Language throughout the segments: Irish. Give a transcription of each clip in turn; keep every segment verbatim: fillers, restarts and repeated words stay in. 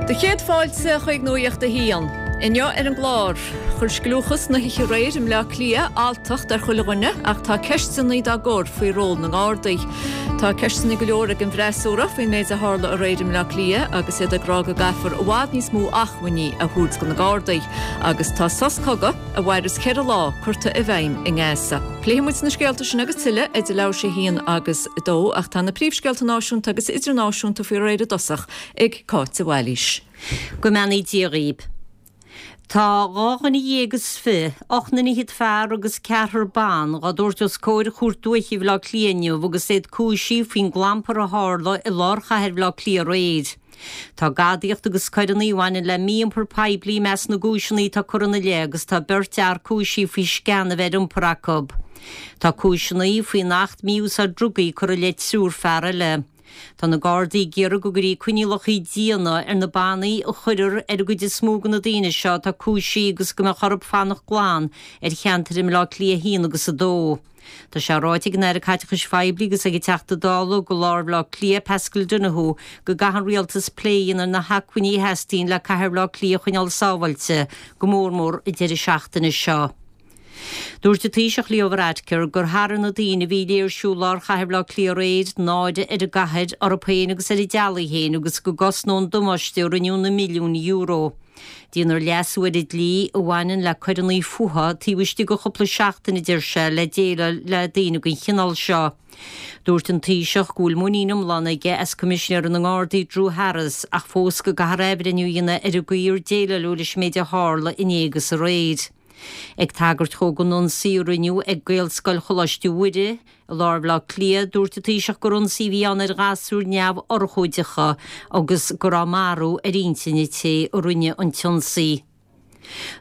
Do chéad fáilte chuig Nuacht a hAon. Inniu ar an gclár, chuir scliúchas na hoíche aréir i mBleá Cliath alltacht ar chuile dhuine ach tá ceisteanna á gcur faoi ról na nGardaí. Tá ceisteanna go leor ag an bhfreasúra faoin méid a tharla aréir i mBleá Cliath agus iad ag rá go gcaithfear i bhfad níos mó acmhainní a thabhairt do na Gardaí, agus tá sos cogaidh a mhairfeas ceithre lá curtha i bhfeidhm i nGaza. Pléifidh muid na scéalta sin agus tuilleadh idir leathuair tar éis a haon agus a dó ach tá na príomhscéalta náisiúnta agus idirnáisiúnta faoi réir i dtosach ag Cáit de Bhailís. Go mbeannaí Dia dhaoibh. Tá dhá dhuine dhéag is fiche, ocht nduine fhichead fear agus ceathrar ban, dhá dtabhairt os comhair Chúirt Dúiche Bhaile Átha Cliath inniu agus iad cúisithe faoin gclampar a tharla i lár chathair Bhaile Átha Cliath aréir. Tá gadaíocht agus coireanna a bhaineann le mí-iompar poiblí i measc na gcúiseanna atá curtha ina leith agus tá beirt fhear cúisithe faoi sceana a bheith ar iompar acu. Tá cúiseanna faoin Acht Mí-Úsáid Drugaí curtha i leith triúr fear eile. Tá na Gardaí ag iarraidh go gcuirfí coinníollacha diana ar na bannaí a chuirfear ar an gcuid is mó de na daoine seo atá cúisithe agus go mbeadh orthu fanacht glan ar cheantair i mBleá Cliath a haon agus a dó. Tá sé ráite ag an Aire Caiteachais Phoiblí agus ag an Teachta Dála do lár Bhaile Átha Cliath Paschal Donohoe go gcaithfidh an rialtas plé a dhéanamh ar na hacmhainní a theastaíonn le cathair Bhaile Átha Cliath a choinneáil sábháilte go mór mór an deireadh seachtaine seo. Dúirt an Taoiseach Leo Varadkar gur tharraing na daoine a bhí ag léirsiú i lár chathair Bhaile Átha Cliath aréir náire ar an gcathair, orthu féin agus ar a dteaghlaigh féin agus go gcosnódh an damáiste a rinneadh na milliúin euro. Déanfar leasú ar an dlí a bhaineann le coireanna fuatha taobh istigh de chúpla seachtain a deir sé le déileáil le daoine den chineál seo. Dúirt an Taoiseach go bhfuil muinín iomlán aige as Coimisinéir na nGardaí Drew Harris ach fós go gcaithfear athbhreithniú a dhéanamh ar an gcaoi ar déileáladh leis an méid a tharla inné agus aréir. Ag tagairt dó don ionsaí a rinneadh ag Gaelscoil Choláiste Mhuire, i lár Bhaile Átha Cliath, dúirt an Taoiseach gur ionsaí a bhí ann ar ghasúir neamhurchóideacha agus go raibh marú ar intinn an té a rinne an t-ionsaí.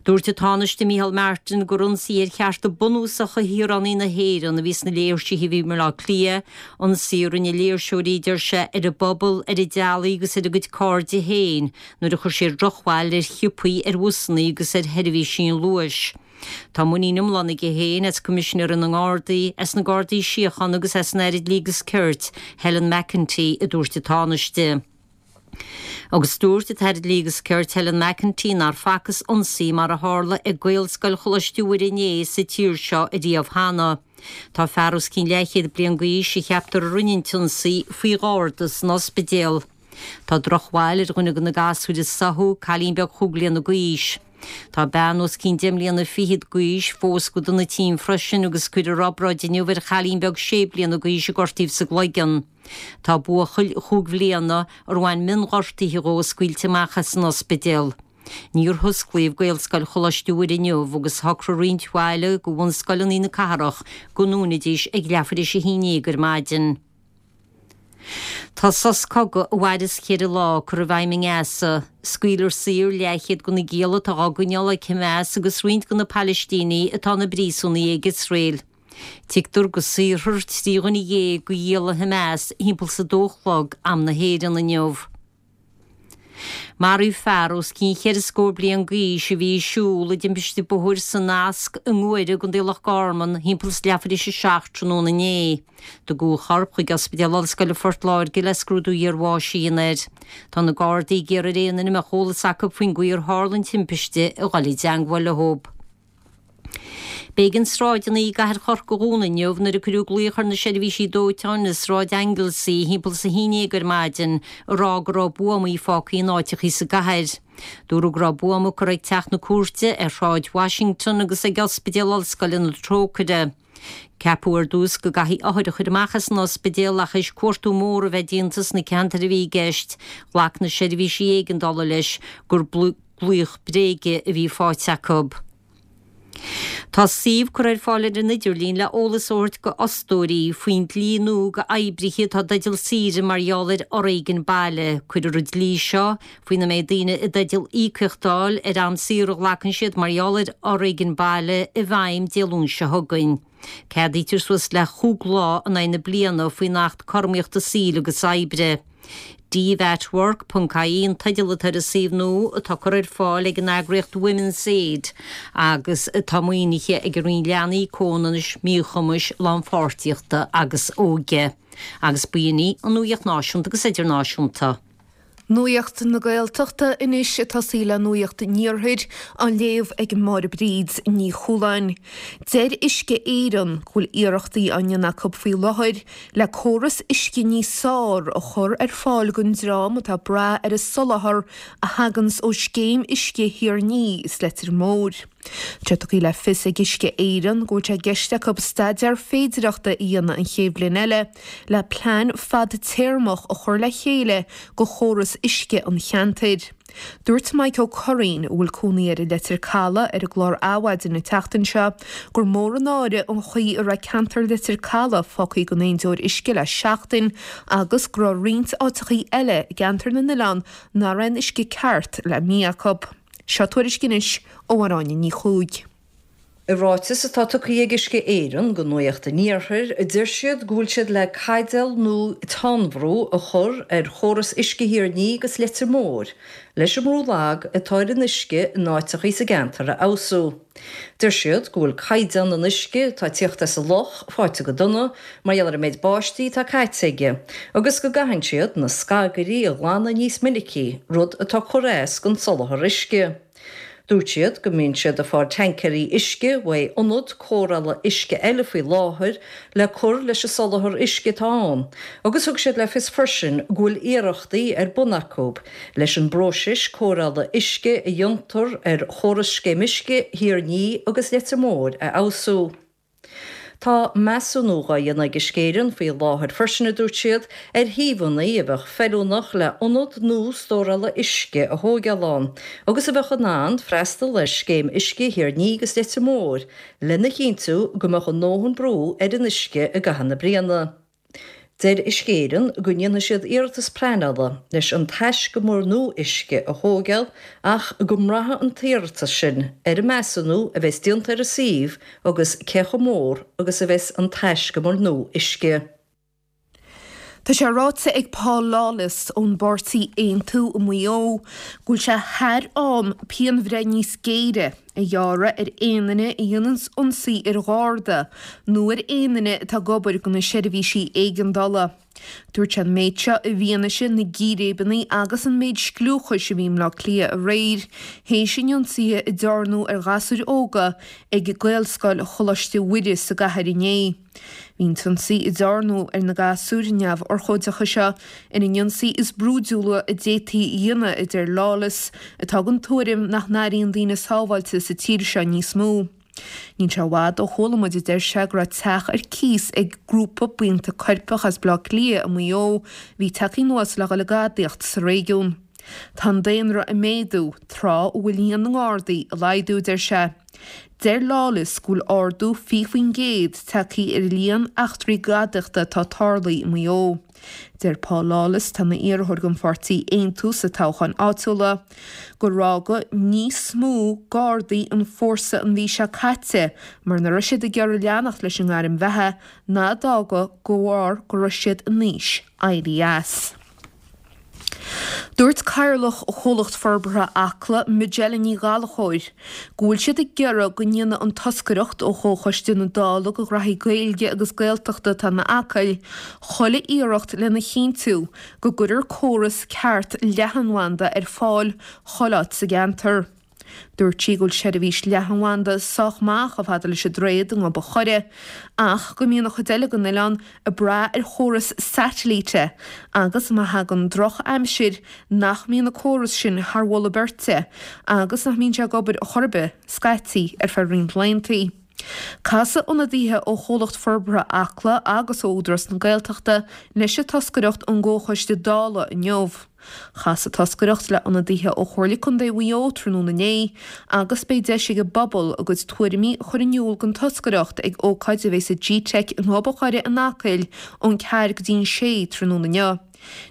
Dúirt an Tánaiste Micheál Martin gur ionsaí ar chearta bunúsacha shaoránaigh na hÉireann a bhí sna léirsithe a bhí i mBaile Átha Cliath, ionsaí a rinne léirseoirí deir sé ar a bpobal, ar a dteaghlaigh agus ar a gcuid cairde féin nuair a chuir siad drochbhail ar shiopaí, ar bhusanna agus ar sheirbhísí an Luais. Tá muinín iomlán aige féin as Coimisinéir na nGardaí, as na Gardaí Síochána agus as an Aire Dlí agus Cirt, Helen McEntee, a dúirt an Tánaiste. Agus dúirt an tAire Dlí agus Cirt Helen McEntee nár facthas ionsaí mar a tharla ag Gaelscoil Choláiste Mhuire inné sa tír seo ariamh cheana. Tá fear os cionn leathchéad bliain d'aois a cheaptar a rinne an t-ionsaí faoi gharda san ospidéal. Tá drochbhail ar dhuine de na gasúir a sáthadh, cailín beag chúig bliana d'aois. Tá bean os cionn deich mbliana fichead d'aois fós go dona tinn freisin agus cuireadh obráid inniu ar chailín beag sé bliana d'aois a gortaíodh sa gcloigeann. Tá buachaill chúig bhliana ar bhain mionghortuithe dhó scaoilte amach as an ospidéal. Níor hosclaíodh Gaelscoil Choláiste Mhuire inniu agus shocraigh roinnt bhaill de bhunscoileanna na cathrach go ndúnfaidís ag leathuair tar éis a haon déag ar maidin. Tá sos cogaidh a mhairfeas ceithre lá curtha i bhfeidhm i nGaza. Scaoilfear saor leathchéad de na gialla atá á gcoinneáil ag Hamas agus roinnt de na Palaistínigh atá ina bpríosúnaigh ag Iosrael. Tuigtear go saorfar trí dhuine dhéag de ghialla Hamas thimpeall is a dó a chlog am na hÉireann inniu. Maraíodh fear os cionn cheithre scór bliain d'aois a bhí ag siúl i dtimpiste bóthair san Easc i nGuaire i gContae Loch Garman thimpeall is leathuair tar éis a seacht tráthnóna inné. Tugadh a chorp chuig Ospidéal Ollscoile Phort Láirge le scrúdú iarbháis a dhéanamh air. Tá na Gardaí ag iarraidh ar aon duine a mbeadh eolas acu faoin gcaoi ar tharla an timpiste a dhul i dteangmháil leo. B'éigean sráideanna i gcathair Chorca a dhúnadh inniu nuair a cuireadh glaoch ar na seirbhísí dóiteáin i Sráid Anglesey thimpeall is a haon déag ar maidin ag rá go raibh buamaí fágtha in áiteachaí sa gcathair. Dúradh go raibh buama curtha ag teach na cúirte ar Shráid Washington agus ag Ospidéal Ollscoile na Trócaire. Ceapadh ar dtús go gcaithfí othair a chur amach as an ospidéal ach théis cuartú mór a bheith déanta sna ceantair a bhí i gceist, ghlac na seirbhísí éigeandála leis gur glaoch bréige a bhí faighte acu. Tá suíomh curtha ar fáil ar an idirlíon le eolas a thabhairt do fhostóirí faoin dlí nua do oibrithe atá i dteideal saoire mar gheall ar fhoréigean baile. Cuirfear an dlí seo faoina mbeidh daoine i dteideal íocaíocht a fháil ar am saor a ghlacann siad mar gheall ar fhoréigean baile i bhfeidhm Dé Luain seo chugainn. Ceadaítear suas le chúig lá in aghaidh na bliana faoin Acht Cothromaíochta Saoil agus Oibre. DVatWork ponc ie an teideal atá ar an suíomh nua atá curtha ar fáil ag an eagraíocht Women's Aid agus atá maoinithe ag an Roinn Leanaí, Comhionannais, Míchumais, Lánpháirtíochta agus Óige. Agus b'in í an nuacht náisiúnta agus idirnáisiúnta. Nuacht na Gaeltachta anois ag tosaí le Nuacht an Iarthair á léamh ag Máire Bríd Ní Chualáin. Deir Uisce Éireann go bhfuil iarrachtaí á ndéanamh acu faoi láthair le córas uisce níos fearr a chur ar fáil don dream atá ag brath ar an soláthar a thaganns ó scéim uisce Thír an Fhia is Leitir Móir. Tá tugtha le fios ag Uisce Éireann go bhfuil sé i gceist acu staidéar féidireachta a dhéanamh an chéad bhliain eile le plean fadtéarmach a chur le chéile do chóras uisce an cheantair. Dúirt Mike Ó Curraoin a bhfuil cónaí air i Leitir Caladh ar an gclár Adhmhaidin an tseachtain seo gur mór an náire an chaoi a raibh ceantar Leitir Caladh fágtha gan aon deoir uisce le seachtain agus go raibh roinnt áiteachaí eile i gceantar na n-oileán nach raibh an uisce ceart le mí acu. Seo tuairisc anois ó Áine Ní Chuaig. I ráiteas atá tugtha ag Uisce Éireann do Nuacht an Iarthair, deir siad go bhfuil siad le caidéal nó tonnbhrú a chur ar chóras uisce Thír an Fhia agus Leitir Móir, leis an mbrú lag atá ar an uisce in áiteachaí sa gceantar a fheabhsú. Deir siad go bhfuil caighdeán an uisce atá ag tíocht as an loch faighte go dona mar gheall ar an méid báistí atá caite aige, agus go gcaitheann siad na scagairí a ghlanadh níos minicí, rud atá ag cur as don soláthar uisce. Dúirt siad go mbíonn siad ag fáil tancaeirí uisce uaidh ionad cóireála uisce eile faoi láthair le cur leis an soláthar uisce atá ann, agus thug siad le fios freisin go bhfuil iarrachtaí ar bun acu leis an bpróiseas cóireála uisce a dhéantar ar chóras scéim uisce Thír an Fhia agus Leitir Móir a fheabhsú. Tá measúnú á dhéanamh ag Uisce Éireann faoi láthair freisin, a dúirt siad, ar shuíomhanna a bheadh feiliúnach le ionad nua stórála uisce a thógáil ann agus a bheadh in ann freastal ar scéim uisce Thír an Fhia agus Leitir Móir lena chinntiú go mbeadh a ndóthain brú ar an uisce i gcaitheamh na bliana. Deir Uisce Éireann go ndéanfaidh siad iarratas pleanála leis an taiscumar nua uisce a thógáil ach go mbraithfidh an t-iarratas sin ar an measúnú a bheas déanta ar an suíomh agus cé chomh mór agus a bheas an taiscumar nua uisce. Tá sé ráite ag Paul Lawless ón bpáirtí Aontú i Maigh Eo go bhfuil sé thar am pianbhreith níos géire a ghearradh ar aon duine a dhéanann ionsaí ar gharda nó ar aon duine atá ag obair do na seirbhísí éigeandála. Dúirt sé an méid seo i bhfianaise na gcíréibeanna agus an méid scliúchais a bhí i mBleá Cliath aréir, théis an ionsaithe a dearnadh ar ghasúir óga ag Gaelscoil Choláiste Mhuire sa gcathair inné. Bhí an t-ionsaí a dearnadh ar na gasúir neamhurchóideacha seo ar an ionsaí is brúidiúla a d'fhéadfaí a dhéanamh, a deir Lawless, atá den tuairim nach n-airíonn daoine sábháilte sa tír seo níos mó. Níl sé i bhfad ó chuala muid, a deir sé, go raibh teach ar cíos ag grúpa buíonta coirpeach as Baile Átha Cliath i Maigh Eo a bhí tagtha anuas le dhul ag gadaíocht sa réigiún. Tá an daonra ag méadú, tráth a bhfuil líon na nGardaí ag laghdú, a deir sé. Deir Lawless go bhfuil ardú fiche faoin gcéad tagtha ar líon eachtraí gadaíochta atá tarlaithe i Maigh Eo. Deir Paul Lawless, atá ina iarrthóir don pháirtí Aontú sa toghchán áitiúla, gur fhága níos mó Gardaí an fórsa an mhí seo caite mar nach raibh siad ag iarraidh leanacht leis an ngairm bheatha ná d'fhága de bharr go raibh siad in aois éirí as. Dúirt Cathaoirleach Chomhlacht Forbartha Acla, Majella Ní Ghallchóir, go bhfuil siad ag iarraidh go ndéanfaidh an toscaireacht ó Chomhchoiste na Dála do Ghraithí Gaeilge agus Gaeltachta atá in Acaill chuile iarracht lena chinntiú go gcuirfear córas ceart leathanbhanda ar fáil chuile áit sa gceantar. Dúirt sí go bhfuil seirbhís leathanbhanda sách maith chomh fada leis an droichead i nGob an Choire, ach go mbíonn an chuid eile den oileán ag brath ar chóras satailíte agus má thagann drochaimsir nach mbíonn an córas sin thar mholadh beirte agus nach mbíonn sé ag obair chor ar bith scaití ar feadh roinnt laethanta. Casfaidh ionadaithe ó Chomhlacht Forbartha Acla agus ó Údarás na Gaeltachta leis an toscaireacht ón gComhchoiste Dála inniu. Chas an toscaireacht le ionadaithe ó Chomhairle Contae Mhaigh Eo tráthnóna inné agus beidh deis ag an bpobal a gcuid tuairimí a chur in iúl don toscaireacht ag ócáid a bheidh sa G-Teic i nGob an Choire in Acaill ón ceathair go dtí an sé tráthnóna inniu.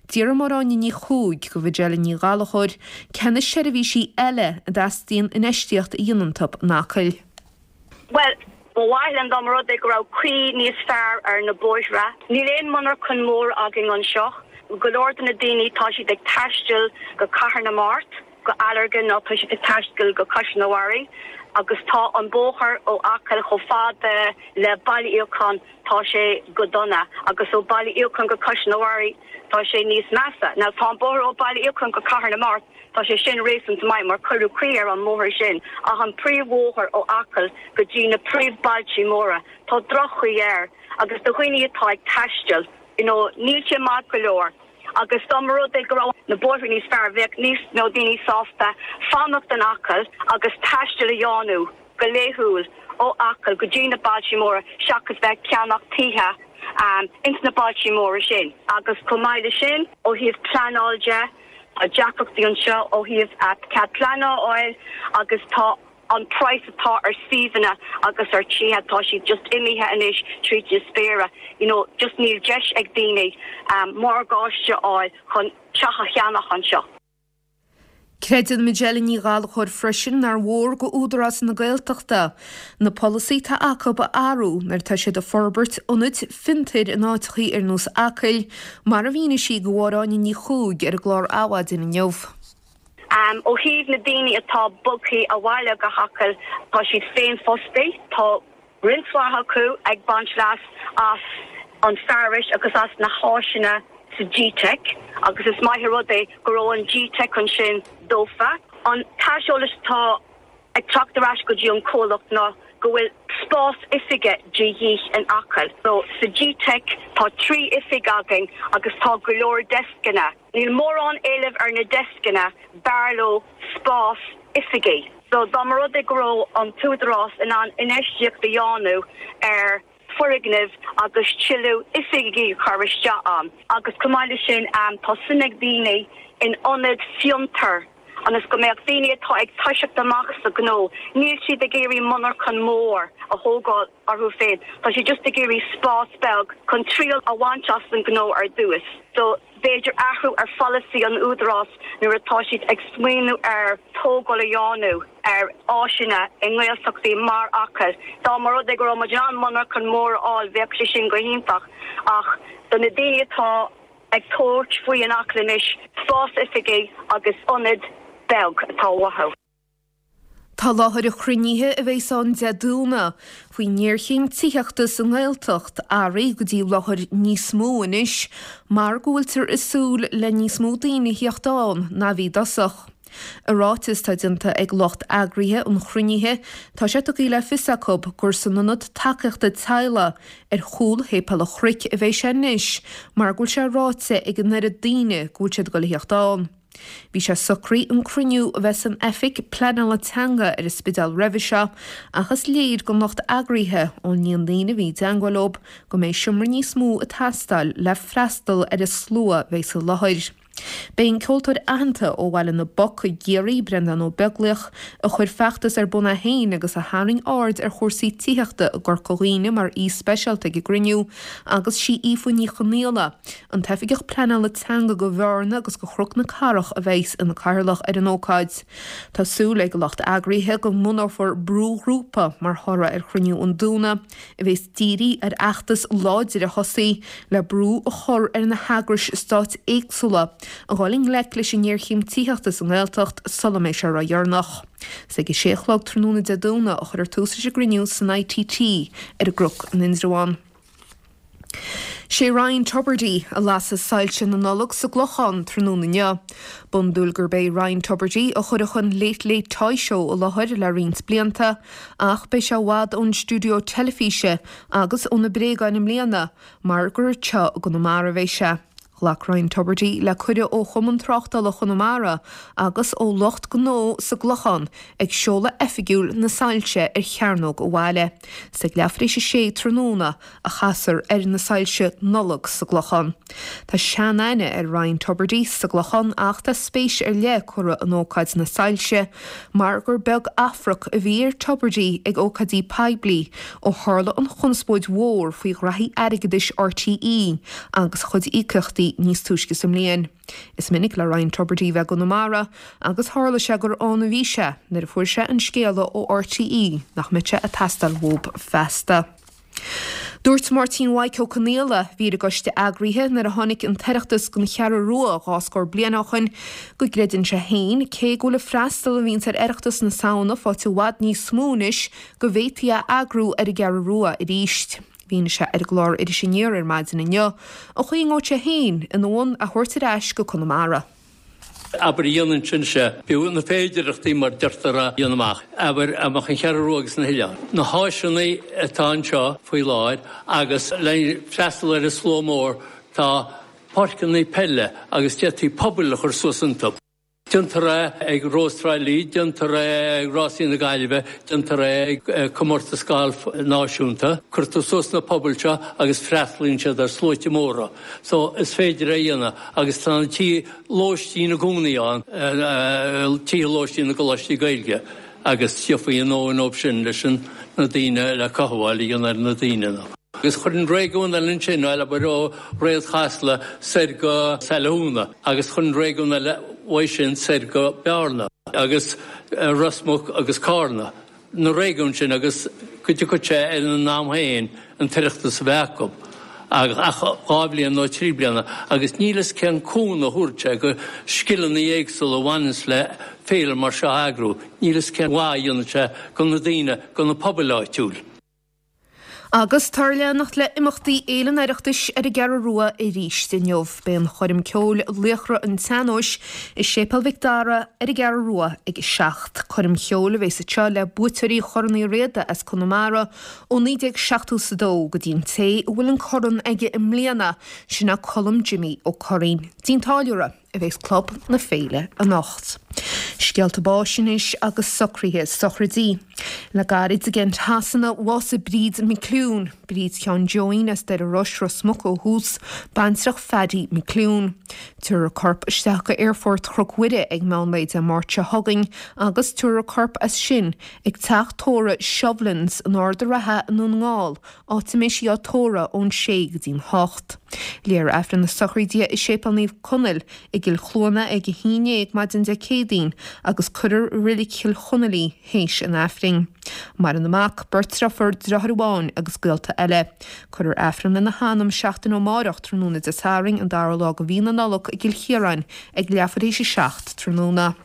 D'fhiafraigh Máire Áine Ní Chuaig de Mhajella Ní Ghallchóir cé na seirbhísí eile a dteastaíonn infheistíocht a dhéanamh iontu in Acaill. Bhuel, ba mhaith linn dá mba rud é go raibh caoi níos fearr ar na bóithre. Níl aon monarchan mór againn anseo. Go leor de na daoine tá siad ag taisteal go Cathair na Mart go Allergan nó tá siad ag taisteal go Caisleán an Bharraigh agus tá an bóthar ó Acaill chomh fada le Baile Fhiacháin tá sé go dona agus ó Baile Fhiacháin go Caisleán an Bharraigh tá sé níos measa. Now tá an bóthar ó Baile Fhiacháin go Cathair na Mart tá sé sin réasúnta maith mar cuireadh caoi ar an mbóthar sin ach an príomhbhóthar ó Acaill go dtí na príomhbhailte móra tá droch-chaoi air agus do dhaoine atá ag taisteal you know, níl sé maith go leor. Agus dá mba rud é go raibh na bóithre níos fearr bheadh níos mó daoine sásta fanacht in Acaill agus taisteal a dhéanamh go laethúil ó Acaill go dtí na bailte móra seachas bheith ag ceannach tithe um, ins na bailte móra sin. Agus chomh maith le sin ó thaobh pleanáil de tá deacrachtaí anseo ó thaobh cead pleanála a fháil agus tá an price atá ar suíomhanna agus ar tithe tá siad just imithe anois tríd na spéire. You know, just níl deis ag daoine um, morgáiste a fháil chun teach a cheannach anseo. Creideann Majella Ní Ghallchóir freisin nár mhór go Údarás na Gaeltachta. Na polasaithe atá acu a athrú nuair atá siad ag forbairt ionaid fiontair in áiteachaí ar nós Acaill, mar a mhínigh sí do Mháire Áine Ní Chuaig ar an gclár Adhmhaidin inniu. Um, ó thaobh na daoine atá bogtha abhaile go hAcaill tá siad féinfhostaithe, tá roinnt mhaith acu ag baint leas as an fearas agus as na háiseanna sa G-Tech agus is maith an rud é go raibh an G-Tech ansin dófa. An t-aiseolas atá ag teacht ar ais go dtí an comhlacht ná go bhfuil spás oifige de dhíth in Acaill. So sa G-Tech tá trí oifig againn agus tá go leor descanna. Níl mórán éilimh ar na descanna b'fhearr leo spás oifige. So dá mba rud é go raibh an tÚdarás in ann infheistíocht a dhéanamh ar foirgnimh agus tuilleadh oifigí a chur isteach ann. Agus chomh maith le sin um, tá suim ag daoine in ionad fiontar ionas go mbeadh daoine atá ag toiseacht amach sa gnó, níl siad ag iarraidh monarchan mór a thógáil orthu féin. Tá siad just ag iarraidh spás beag chun triail a bhaint as an gnó ar dtús. So b'fhéidir athrú ar pholasaí an Údarás nuair atá siad ag smaoineamh ar tógáil a dhéanamh ar áiseanna i nGaeltachtaí mar Acaill. Dá mba rud é go raibh muid in ann monarchan mór a fháil bheadh sé sin go hiontach ach do na daoine atá ag tabhairt faoi in Acaill anois spás oifige agus ionad beag atá uathu. Tá láthair an chruinnithe a bheas ann Dé Domhnaigh faoin ngéarchéim tithíochta sa nGaeltacht athraithe go dtí láthair níos mó anois mar go bhfuiltear ag súil le níos mó daoine a theacht ann ná a bhí i dtosach. I ráiteas atá déanta ag lucht eagraithe an chruinnithe, tá sé tugtha le fios acu gur san ionad tacaíochta teaghlaigh ar chúl Shéipéal an Chnoic a bheidh sé anois mar go bhfuil sé ráite ag an oiread daoine go bhfuil siad ag dul a theacht ann. Bhí sé socraithe an cruinniú a bheith san oifig pleanála teanga ar an Spidéal roimhe seo ach is léir don lucht eagraithe ón líon daoine a bhí i dteagmháil leo go mbeidh seomra níos mó ag teastáil le freastal ar an slua a bheidh sa láthair. Beidh an ceoltóir aitheanta ó Bhaile na bPoc i gCiarraí, Breandán Ó Beaglaoich, a chuir feachtas ar bun é féin agus a tharraing aird ar chúrsaí tithíochta i gCorca Dhuibhne mar aoi speisialta ag an gcruinniú agus sí Aoife Ní Chonaola, an tOifigeach Pleanála Teanga do Bhearna agus do Chnoc na Cathrach a bheas ina cathaoirleach ar an ócáid. Tá súil ag lucht eagraithe go mbunófar brúghrúpa mar thoradh ar chruinniú an Domhnaigh, a bheas dírithe ar fheachtas láidir a thosaí le brú a chur ar na heagrais stáit éagsúla a dhul i ngleic leis an ngéarchéim tithíochta sa nGaeltacht sula mbeidh sé ródheireanach. Is ag a sé a chlog tráthnóna Dé Domhnaigh a chuirfear tús leis an gcruinniú san ITT ar an gCnoc in Indreabhán. Sé Ryan Tubridy a lasfaidh soilse na Nollag sa gClochán tráthnóna inniu. B'iondúil gurb é Ryan Tubridy a chuirfeadh an Late Late Toy Show i láthair le roinnt blianta ach beidh sé i bhfad ón stiúideo teilifíse agus ó na bréagáin i mbliana mar gur anseo i gConamara a bheidh sé. Ghlac Ryan Tubridy le cuireadh ó Chumann Tráchtála Chonamara agus ó lucht gnó sa gClochán ag seoladh oifigiúil na soilse ar chearnóg an bhaile. Is ag leathuair tar éis a sé tráthnóna a chasfar ar na soilse Nollag sa gClochán. Tá sean-aithne ar Ryan Tubridy sa gClochán ach tá spéis ar leith curtha in ócáid na soilse mar gur beag afrac a bhí ar Tubridy ag ócáidí poiblí ó tharla an chonspóid mhór faoi ghraithí airgeadais RTÉ agus a chuid íocaíochtaí níos túisce sa mbliain. Is minic le Ryan Tubridy bheith i gConamara agus tharla sé gur ann a bhí sé nuair a fuair sé an scéala ó RTÉ nach mbeadh sé ag teastáil uathu feasta. Dúirt Máirtín Mhaidhc Ó Conghaile, a bhí ar an gcoiste eagraithe nuair a tháinig an tOireachtas don Cheathrú Rua dhá scór bliain ó shoin, go gcreideann sé féin, cé go bhfuil an freastal a bhíonns ar Oireachtas na Samhna faighte i bhfad níos mó anois, go bhféadfaí a eagrú ar an gCeathrú Rua arís. Mhínigh sé ar an gclár Iris Aniar ar maidin inniu an chaoi a ngabhfadh sé féin ina bhun a thabhairt ar ais go Conamara. Abair a dhéanann sin sé, b'fhiú na féidearthachtaí mar deirtear a dhéanamh amach, abair, amach an Cheathrú Rua agus na hoileáin. Na háiseanna atá anseo faoi láthair agus le freastal ar an slua mór tá páirceanna peile agus d'fhéadfaí pubaill a chur suas iontu. Déantar é ag Rós Trá Lí, déantar é ag Rásaí na Gaillimhe, déantar é ag comórtas gailf náisiúnta. Cuirtear suas na pubaill seo agus freastalaíonn siad ar sluaite móra. So is féidir é a dhéanamh agus tá na tithe lóistín i gcónaí ann, tithe lóistín na gcoláistí Gaeilge agus thiocfaí a ndóthain dóibh sin leis na daoine le cothabháil a dhéanamh ar na daoine. Agus chuir an réigiún eile ansin, bhuel, abair ó Réad Chasla soir go Saile Úna, agus chuir an réigiún eile uaidh sin soir go Bearna agus Ros Muc agus Cárna, na réigiúin sin agus go dtiocfadh sé ar an am féin an tOireachtas a bheith acu ach dhá bhliain nó trí bliana agus níl fhios cén cúnamh a thabharfadh sé go scileanna éagsúla a bhaineanns le féile mar seo a eagrú, níl fhios cén mhaith a dhéanfadh sé go na daoine, go na pobail áitiúil. Agus táthar ag leanacht le imeachtaí Fhéile an Oireachtais ar an gCeathrú Rua arís inniu. Beidh an choirm ceoil Laochra an tSean-Nóis i Séipéal Mhic Dara ar an gCeathrú Rua ag a seacht. Coirm cheoil a bheas anseo le buaiteoirí Chorn Uí Riada as Conamara ó naoi déag seachtó is a dó go dtí an té a bhfuil an corn aige i mbliana, sin é Colm Jimmy Ó Curraoin. Dtí an Táilliúra. a bheas Club na Féile anocht. Scéalta báis anois agus socruithe sochraidí. Le gairid i gCent Shasana, bhásaigh Bríd McClune, Bríd Sheáin Joeín as Doire Rois, Ros Muc ó thús, baintreach Phaddy McClune. Tabharfar a corp isteach go Aerfort Chnoc Mhuire ag meán lae Dé Máirt seo chugainn agus tabharfar a corp as sin ag teach tórraimh Shovlins in Ard an Rátha i nDún na nGall, áit a mbeidh sí á tórramh ón sé go dtí'n hocht. Léifear Aifreann na sochraide i Séipéal Naomh Conaill i gCill Chluana ag a haon déag maidin Dé Céadaoin agus cuirfear i Reilig Chill Chonaill í théis an Aifrinn. Maireann a mac, beirt deirfiúr, deartháir amháin agus gaolta eile. Cuirfear Aifreann lena hanam seachtain ó amárach tráthnóna Dé Sathairn an dara lá de mhí na Nollag i gCill Chiaráin ag leathuair théis a seacht tráthnóna.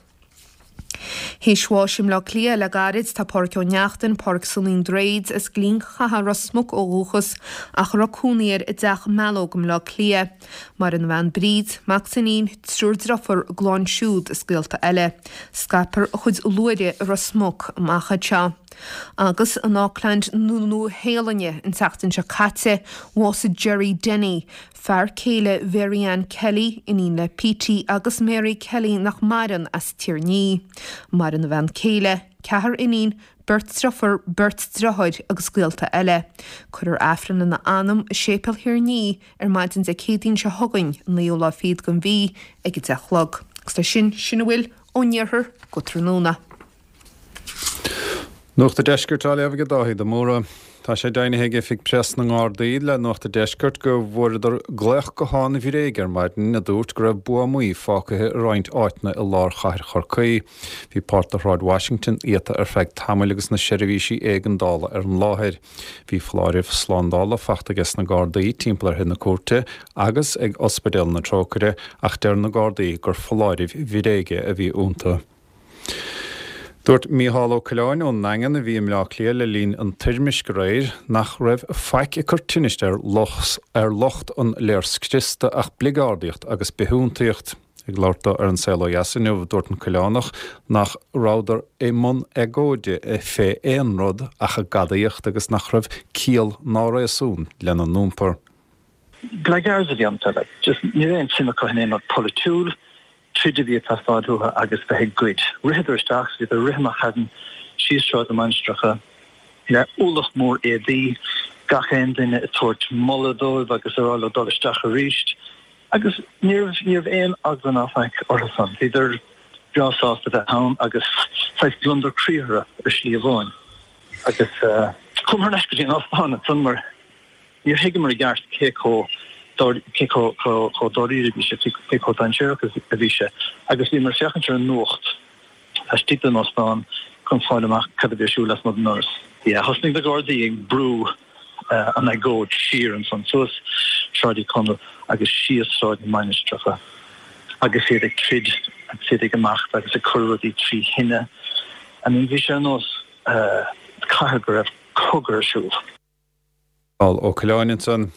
Théis bháis i mBleá Cliath le gairid tá Pádhraic Ó Neachtain, Pádhraic Sonaí an Droichid, as Gleann Chatha, Ros Muc ó dhúchas ach a raibh cónaí air i dTeach Mealóg i mBleá Cliath. Maireann a bhean Bríd, mac is iníon, triúr deirfiúr, a gclann siúd is gaolta eile. Scaipfear a chuid luaithre i Ros Muc amach anseo. Agus in Auckland na Nua-Shéalainne an tseachtain seo caite, bhásaigh Gerry Denny, Fear céile Mhary Ann Kelly, iníon le Petey agus Mary Kelly nach maireann, as Tír an Fhia. Maireann a bhean céile, ceathrar iníon, beirt deirfiúr, beirt deartháir agus gaolta eile. Cuirfear Aifreann lena anam i Séipéal Thír an Fhia ar maidin Dé Céadaoin seo chugainn, an naoú lá fichead den mhí, ag a deich a chlog. Agus leis sin, sin a bhfuil ón iarthar go tráthnóna. Nuacht an Deiscirt á léamh ag Dáithí de Mórdha. Tá sé deimhnithe ag Oifig Preas na nGardaí le Nuacht an Deiscirt go bhfuaireadar glaoch gutháin bhréige ar maidin a dúirt go raibh buamaí fágtha i roinnt áiteanna i lár chathair Chorcaí. Bhí páirt de Shráid Washington iata ar feadh tamaill agus na seirbhísí éigeandála ar an láthair. Bhí foláirimh slándála faighte aige sna Gardaí timpeall ar Thigh na Cúirte agus ag Ospidéal na Trócaire ach deir na Gardaí gur foláirimh bhréige a bhí iontu. Dúirt Mícheál Ó Coileáin ón nDaingean, a bhí i mBleá Cliath le linn an toirmisc aréir, nach raibh faic ag cur tinnis ar lucht an léirscriosta ach bligeardaíocht agus bithiúntaíocht. Ag labhairt dó ar An Saol Ó Dheas inniu, dúirt an Coileánach nach rabhadar i mbun agóide fé aon rud ach a gadaíocht agus nach raibh ciall ná réasún lena n-iompar. Blackguards a bhí iontu, like, just ní raibh aon suim acu in aon rud polaitiúil, troid a bhí ag teastáil uathu agus bheith ag goid. Ritheadar isteach, so bhíodar ag rith amach chugainn síos Sráid na Mainistreacha le ualach mór éadaí, gach aon duine ag tabhairt moladh dóibh agus ag rá leo dul isteach arís. Agus ní raibh, ní raibh aon eagla ná faic orthusan. Bhíodar breá sásta bheith ann agus saghas gliondar croí orthu ar shlí amháin. Agus chuamar thar n-ais go dtí an óstán ansan mar. Níor thuigeamar i gceart cé chomh cé chomh dáiríre a bhí sé, cé chomh dainséarach a bhí sé, agus bhíomar ag féachaint ar an nuacht laistigh den óstán chun fáil amach cad a bhí ar siúl lasmuigh den ndoras. Yeah, thosnaigh na Gardaí ag brú an agóid siar ansan suas Sráid Uí Chonaill agus síos Sráid na Mainistreacha agus iad ag troid agus iad ag imeacht agus ag cur rudaí trí thine. I mean bhí sé ar nós cathair go raibh cogadh ar siúl. Mícheál Ó Coileáin ansan.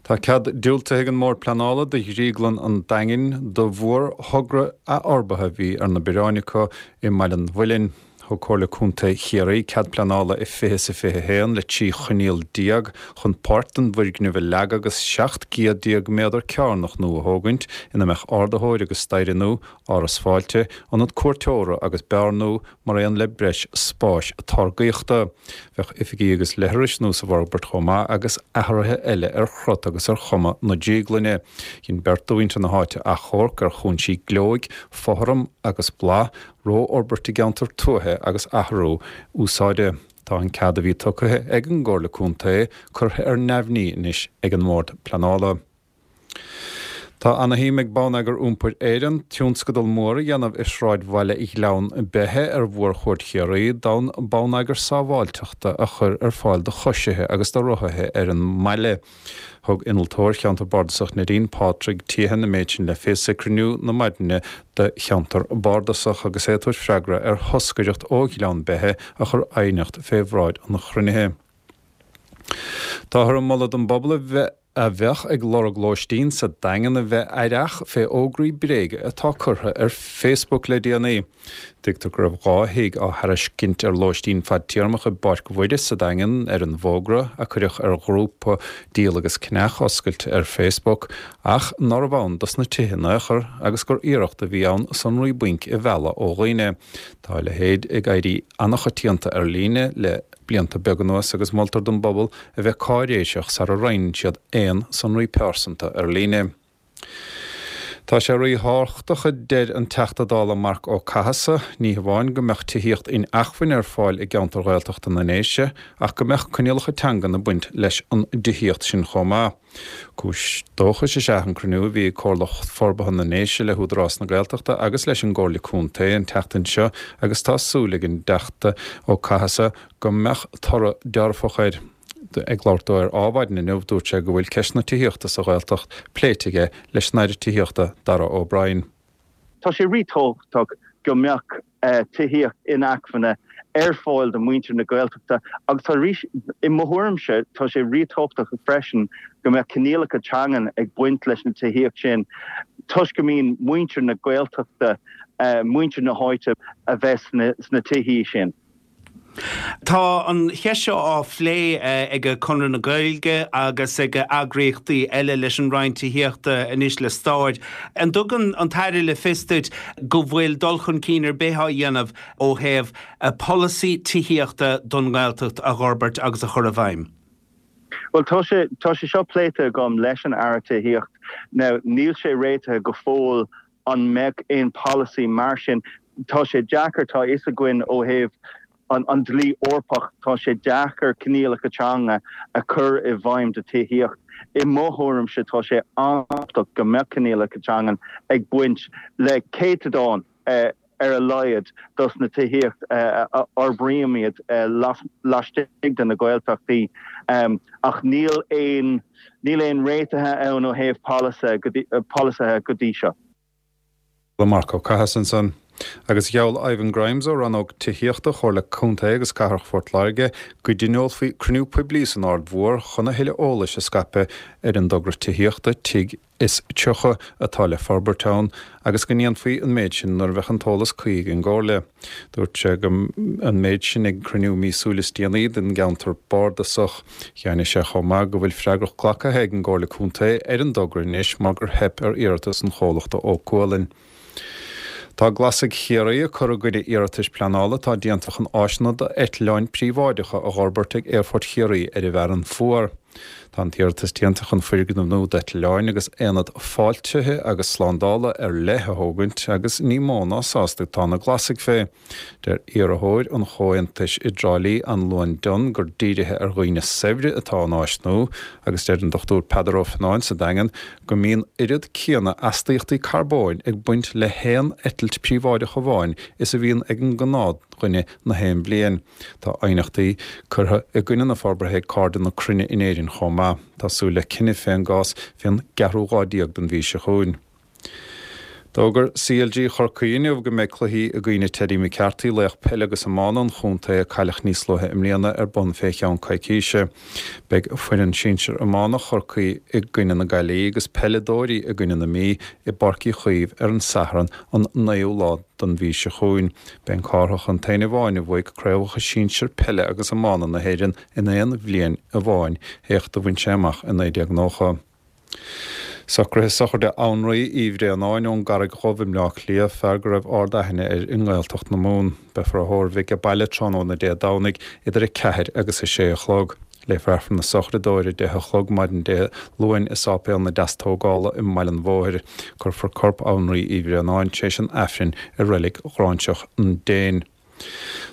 Tá cead diúltaithe ag an mBord Pleanála do Dhrioglann an Daingin do mhórthogra athfhorbartha a bhí ar na bioráin acu i mBaile an Mhuilinn. Thug Comhairle Contae Chiarraí cead pleanála i fiche is a fiche a haon le trí choinníoll déag chun páirt den bhfoirgneamh a leagadh agus seacht gcéad déag méadar cearnach nua a thógaint ina mbeadh ardaitheoir agus staighre nua, áras fáilte, ionad cuairteora agus beár nua mar aon le breis spáis táirgíochta. Bheadh oifigí agus leithris nua sa bhforbairt chomh maith agus athruithe eile ar chrut agus ar chuma na drioglainne. Dhein beirt de mhuintir na háite achomharc ar chúinsí gleoigh, fothram agus bladh, rófhorbairt i gceantar tuaithe agus athrú úsáide. Tá an cead a bhí tugtha ag an gComhairle Contae curtha ar neamhní anois ag an mBord Pleanála. Tá ana-shuim ag Bonneagar Iompair Éireann tionscadal mór a dhéanamh i sráidbhaile Ghleann Beithe ar Mhórchuaird Chiarraí d'fhonn bonneagar sábháilteachta a chur ar fáil do choisithe agus do rothaithe ar an mbaile. Thug Innealtóir Cheantar Bardasach Neidín, Pádraig Teehan an méid sin le fios ag cruinniú na maidine de Cheantar Bardasach agus é ag tabhairt freagra ar thoscaireacht ó Ghleann Beithe a chuir aighneacht fé bhráid an chruinnithe. Táthar ag moladh don bpobal a bheith a bheadh ag lorg lóistín sa Daingean a bheith aireach fé fhógraí bréige atá curtha ar Facebook le déanaí. Tuigtear go raibh dhá thigh á thairiscint ar lóistín fadtéarmach i bPáirc Mhuire sa Daingean ar an bhfógra a cuireadh ar ghrúpa Díol agus Ceannach oscailte ar Facebook ach nárbh ann dos na tithe in aon chor agus gur iarracht a bhí ann sonraí bainc a mhealladh ó dhaoine. Tá a leithéid ag éirí an-choitianta ar líne le blianta beaga anuas agus moltar don bpobal a bheith cáiréiseach sara roinneann siad aon sonraí pearsanta ar líne. Tá sé ríthábhachtach, a deir an Teachta Dála Marc Ó Cathasaigh, ní hamháin go mbeadh tithíocht inacmhainne ar fáil i gceantar Ghaeltachta na nDéise ach go mbeadh coinníollacha teangan ag baint leis an dtithíocht sin chomh maith. Cúis dóchais is ea an cruinniú a bhí ag Comhairle Forbartha na nDéise le hÚdarás na Gaeltachta agus leis an gComhairle Contae an tseachtain seo agus tá súil ag an dTeachta Ó Cathasaigh go mbeadh toradh dearfach air. Ag labhairt dó ar Adhmhaidin inniu, dúirt sé go bhfuil ceist na tithíochta sa Ghaeltacht pléite aige leis an Aire Tithíochta, Darragh O'Brien. Tá sé ríthábhachtach go mbeadh tithíocht inacmhainne ar fáil do mhuintir na Gaeltachta agus tá i mo thuairimse tá sé ríthábhachtach freisin go mbeadh coinníollacha teangan ag baint leis na tithíocht sin toisc go mbíonn muintir na Gaeltachta, muintir na háite a bheith sna tithí sin. Tá an cheist seo á phlé ag Conradh na Gaeilge agus ag eagraíochtaí eile leis an Roinn Tithíochta anois le staid. An dtugann an tAire le fios duit go bhfuil dul chun cinn ar bith á dhéanamh ó thaobh polasaí tithíochta don nGaeltacht a fhorbairt agus a chur i bhfeidhm? Bhuel, tá sé, tá sé seo pléite agam leis an Aire Tithíocht. Now, níl sé réitithe go fóill an mbeadh aon polasaí mar sin. Tá sé deacair, tá a fhios againn ó thaobh an dlí Eorpach, tá sé deacair coinníollacha teanga a chur i bhfeidhm do tithíocht. I mo thuairimse, tá sé an-tábhachtach go mbeadh coinníollacha teangan ag baint le céatadán ar a laghad dos na tithíocht a fhorbraímid laistigh de na Gaeltachtaí. Ach níl aon níl aon réitithe ann ó thaobh polasaithe go dtí seo. Le Marc Ó Cathasaigh ansan. Agus gheall Ivan Grimes ó Rannóg Tithíochta Chomhairle Contae agus Cathrach Phort Láirge go dtionólfaí cruinniú poiblí san Aird Mhór chun a thuilleadh eolais a scaipeadh ar an dtogra tithíochta Tigh is Tríocha atá le forbairt ann agus go ndéanfaí an méid sin nuair a bheadh an t-eolas cuí ag an gComhairle. Dúirt sé go an méid sin ag cruinniú míosúil is déanaí den gceantar bardasach. Dheimhnigh sé chomh maith go bhfuil freagracht glactha ag an gComhairle Contae ar an dtogra anois mar gur theip ar iarratas an chomhlachta Ó Cualann. Tá Glasaigh Chiarraí ag cur i gcoinne iarratais pleanála atá déanta chun áiseanna d'eitleáin príobháideacha a dh'fhorbairt ag Aerfort Chiarraí ar an bhFearann Fuar. Tá an t-iarratas déanta chun foirgneamh nua d'eitleáin agus aonad fáiltithe agus slándála ar leith a thógaint agus ní mó ná sásta atá na Glasaigh fé. Deir iarrthóir an Chomhaontais i dTrá Lí, Anluan Dunne, gur dírithe ar dhaoine saibhre atá an áis nua agus deir an Dochtúir Peadar Ó Fionnáin sa Daingean go mbíonn oiread céanna astaíochtaí carbóin ag baint le haon eitilt phríobháideach amháin is a bhíonn ag an ngnáthdhuine na haon bhliain. Tá aighneachtaí curtha i gcoinne na forbartha ag Cairde na Cruinne in Éirinn chomh maith. Tá súil le cinneadh fén gcás fén gceathrú lá déag den mhí seo chugainn. D'fhógair C L G Chorcaí inniu go mbeidh cluichí i gcuimhne Teddy McCarthy, laoch peile agus iomána an chontae a cailleadh níos luaithe i mbliana, ar bun fé cheann coicíse. Beidh foireann sinsir iomána Chorcaí i gcoinne na Gaillimhe agus peileadóirí i gcoinne na Mí i bPáirc Uí Chaoimh ar an Satharn an naoú lá den mhí seo chugainn. B'é an Cárthach an t-aon amháin a bhuaigh craobhacha sinsir peile agus iomána na hÉireann in aon bhliain amháin, éacht a bhain sé amach i naoi déag nócha. Socruithe sochraide Annraoi Uí Bhraonáin ón gCarraig Dhubh i mBleá Cliath, fear go raibh ard-aithne air i nGaeltacht na Mumhan. Beifear á thórramh aige baile tráthnóna Dé Domhnaigh idir a ceathair agus a sé a chlog. Léifear Aifreann na sochraide dó ar a deich a chlog maidin Dé Luain i Sáipéal na Deastógála i mBaile an Bhóthair. Cuirfear corp Annraoi Uí Bhraonáin tar éis an Aifrinn i reilig Ghráinseach an Déin.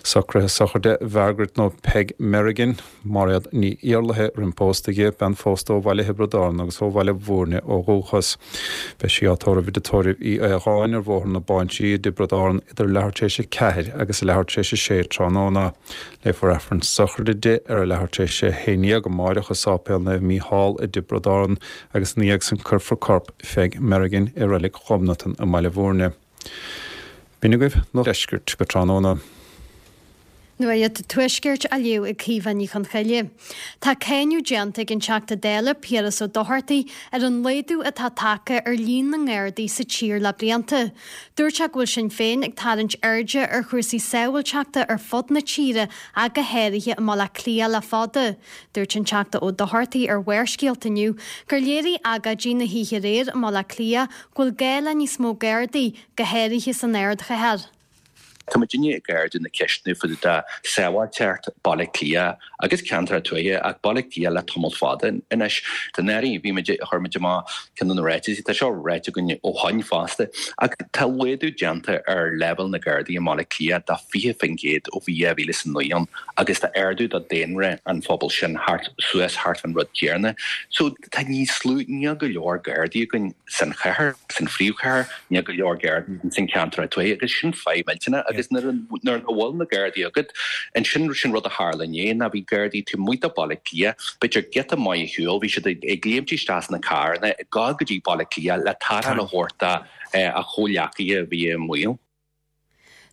Socruithe sochraide Mhargaret nó Peg Merrigan, Máiréad Ní Iarlaithe roimh pósta di, bean phósta ó Bhaile Thiobraid Árann agus ó Bhaile Mhúirne ó dhúchas. Beidh sí á tórramh i dtórramh Uí Aodháin ar Bhóthar na Báinsí i dTiobraid Árann idir leathuair tar éis a ceathair agus a leathuair tar éis a sé tráthnóna. Léifear Aifreann sochraide di ar a leathuair tar éis a haon déag amárach i Sáipéal Naomh Mícheál i dTiobraid Árann agus ina dhiaidh sin cuirfear corp Pheig Merrigan i reilig Ghobnatan i mBaile Mhúirne. B'in agaibh Nuacht Deiscirt go tráthnóna. Nuacht Tuaiscirt á léamh ag Caoimhe Ní Chonchoille. Tá cáineadh déanta ag an Teachta Dála Piaras Ó Dochartaigh ar an laghdú atá tagtha ar líon na nGardaí sa tír le blianta. Dúirt sé go bhfuil Sinn Féin ag tarraingt airde ar chúrsaí sábháilteachta ar fud na tíre ach go háirithe i mBaile Átha Cliath le fada. Dúirt an Teachta Ó Dochartaigh ar Bharrscéalta inniu gur léirigh agóidí na hoíche aréir i mBaile Átha Cliath go bhfuil gá le níos mó Gardaí go háirithe san ardchathair. Tá muidinne ag ardú na ceisteanna faoi de sábháilteacht Baile Cliath agus ceantar tuaithe ach Baile Cliath le tamall fada anois. Tá náirí bhí chuir muid amach ceann na ráitis tá seo ráite againn ó shin fosta ach tá laghdú déanta ar leibhéal na Gardaí i mBaile Cliath de fiche faoin gcéad ó bhí mhíle san naoi agus tá ardú do daonra an phobal sin thart suas thart an rud céanna. So tá níos lú níl go leor Gardaí againn san chathair san phríomhchathair níl go leor Gardaí san ceantar tuaithe agus sin fadhb millteanach agus nuair nach bhfuil na Gardaí agat ansin sin rud a tharla inné ná bhí Gardaí taobh amuigh de Baile Cliath b'fhéidir giota maith ar shiúl bhí siad ag léimt isteach sna carranna ag gabháil go dtí Baile Cliath le tarrtháil a thabhairt a chomhghleacaithe a bhí i mbaol.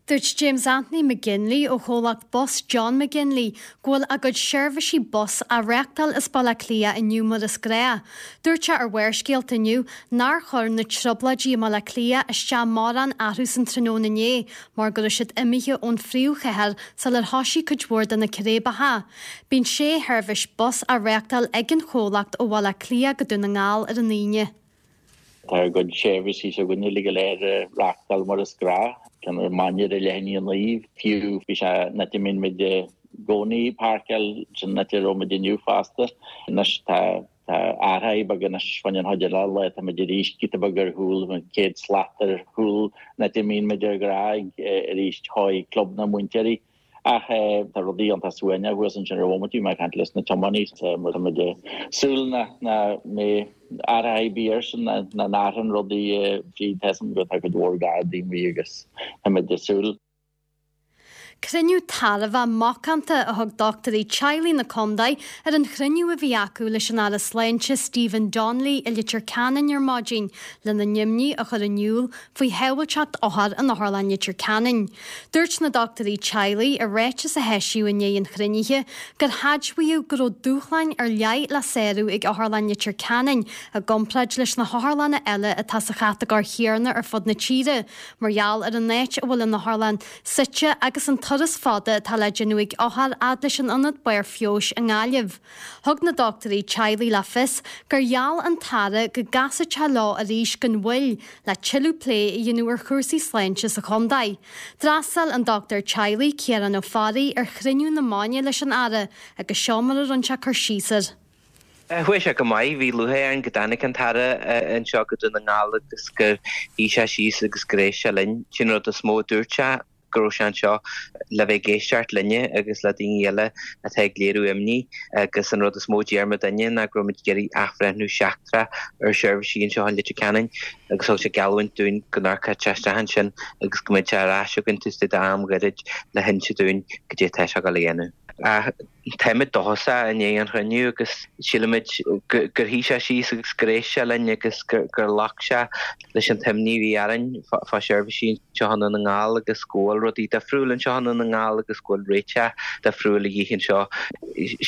Dúirt James Anthony McGinley ó chomhlacht bus John McGinley go bhfuil a gcuid seirbhísí bus á reáchtáil as Baile Átha Cliath inniu mar is gnách. Dúirt sé ar Bharrscéalta inniu nár chuir na trioblóidí i mBaile Átha Cliath isteach mórán orthu san tráthnóna inné mar go raibh siad imithe ón phríomhchathair sular thosaigh cuid mhór de na círéibeacha. Bíonn sé sheirbhís bus á reáchtáil ag an chomhlacht ó Bhaile Átha Cliath go Dún na nGall ar an Aoine. Tá ár gcuid seirbhísí s'againne le go léir reáchtáil mar is gnách ceann ar maidin ar leath i ndiaidh a naoi fiú bhí sé na mín muid i gcónaí páirceáil sin na raibh inniu fosta anois tá tá athraithe beag anois fan an chuid eile le tá muid arís giota beag ar chúl céad slat ar chúl na mín muid ar gnách arís chuig club na múinteoirí. Ach tá rudaí an suaimhneach thuas ansin ar bhomaite mé caint leis na tiománaithe mar muid súil na na mé athraithe bí air sin na na n-athraíonn rudaí trí tesam go tá go mhór Gardaí mí agus tá muid súil. Cruinniú tairbhe macánta a thug dochtúirí teaghlaigh na contae ar an chruinniú a bhí acu leis an Aire Sláinte Stephen Donnelly i Leitir Ceanainn ar maidin lena n-imní a chur in iúl faoi shábháilteacht othar in Otharlann Leitir Ceanainn. Dúirt na dochtúirí teaghlaigh i ráiteas a eisíodh i ndiaidh an chruinnithe gur admhaíodh go raibh dúshláin ar leith le sárú ag Otharlann Leitir Ceanainn i gcomparáid leis na hotharlanna eile atá sa chatagóir chéanna ar fud na tíre, mar gheall ar an áit a bhfuil an otharlann suite agus an turas fada atá le déanamh ag othair fhad leis an ionad barr feabhais i nGaillimh. Thug na dochtúirí teaghlaigh le fios gur gheall an tAire go gcasfadh sé leo arís gan mhoill le tuilleadh plé a dhéanamh ar chúrsaí sláinte sa chontae. D'fhreastail an dochtúir teaghlaigh Ciarán Ó Fearraigh ar chruinniú na maidine leis an Aire agus seo mar a rinne sé cur síos air. Chuaigh sé go maith, bhí lúcháir orainn go dtáinig an tAire anseo go Dún na nGall agus gur shuigh sé síos agus gur éist sé linn. Sin rud is mó a dúirt sé, go raibh sé anseo le bheith ag éisteacht linne agus le daoine eile atá ag léiriú imní agus an rud is mó a deir muidinne ná go raibh muid ag iarraidh athbhreithniú seachtrach ar sheirbhísí anseo in Leitir Ceanainn agus thug sé geallúint dúinn go n-amharcfadh sé isteach ansin agus go mbeadh sé ar ais againn taobh istigh d'am gairid le hinse dúinn goidé atá sé ag dul a dhéanamh. Ach táimid dóchasach i ndiaidh an chruinniú agus sílimid gur shuigh sé síos agus gur éist sé linn agus gur ghlac sé leis an t-imní a bhí orainn fá sheirbhísí anseo i nDún na nGall agus go bhfuil rudaí difriúil anseo i Ndún na nGall agus go bhfuil réiteach difriúil a dhíth anseo.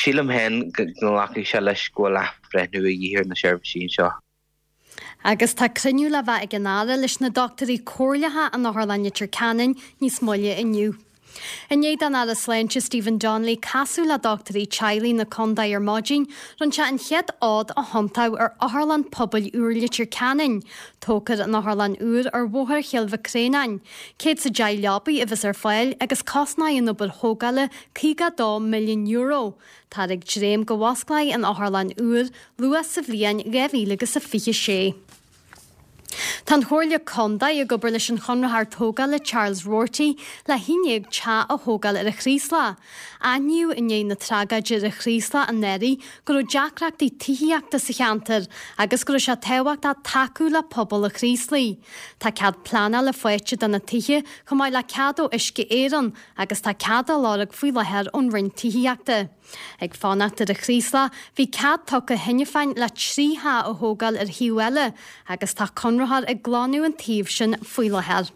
Sílim féin go nglacfaidh sé leis go bhfuil athbhreithniú a dhíth ar na seirbhísí anseo. Agus tá cruinniú le bheith ag an Aire leis na dochtúirí comhairleacha in Otharlann Leitir Ceanainn níos moille inniu. I ndiaidh don Aire Sláinte Stephen Donnelly casadh le dochtúirí teaghlaigh na contae ar maidin, rinne sé an chéad fhód a thiontú ar Otharlann Pobail úr Leitir Ceanainn. Tógfar an otharlann úr ar Bhóthar Chill Mhic Réanáin. Céad 's a deich leabaidh a bheas ar fáil agus cosnóidh an obair thógála caoga dó milliún euro. Táthar ag dréim go bhfosclóidh an otharlann úr luath sa bhliain dhá mhíle agus a fiche sé. Tá an Chomhairle Contae ag obair leis an chonraitheoir tógála Charles Roarty le haon déag teach a thógáil ar an Chraoslach. Aithníodh i ndiaidh na tragóide ar an Chraoslach anuraidh go raibh deacrachtaí tithíochta sa cheantar agus go raibh sé tábhachtach tacú le pobal an Chraoslaigh. Tá cead pleanála faighte do na tithe chomh maith le cead ó Uisce Éireann agus tá cead á lorg faoi láthair ón Roinn Tithíochta. Ag fanacht ar an Chraoslach, bhí cead tugtha cheana féin le trí theach a thógáil ar thaobh eile agus tá conraitheoir ag glanadh an taobh sin faoi láthair.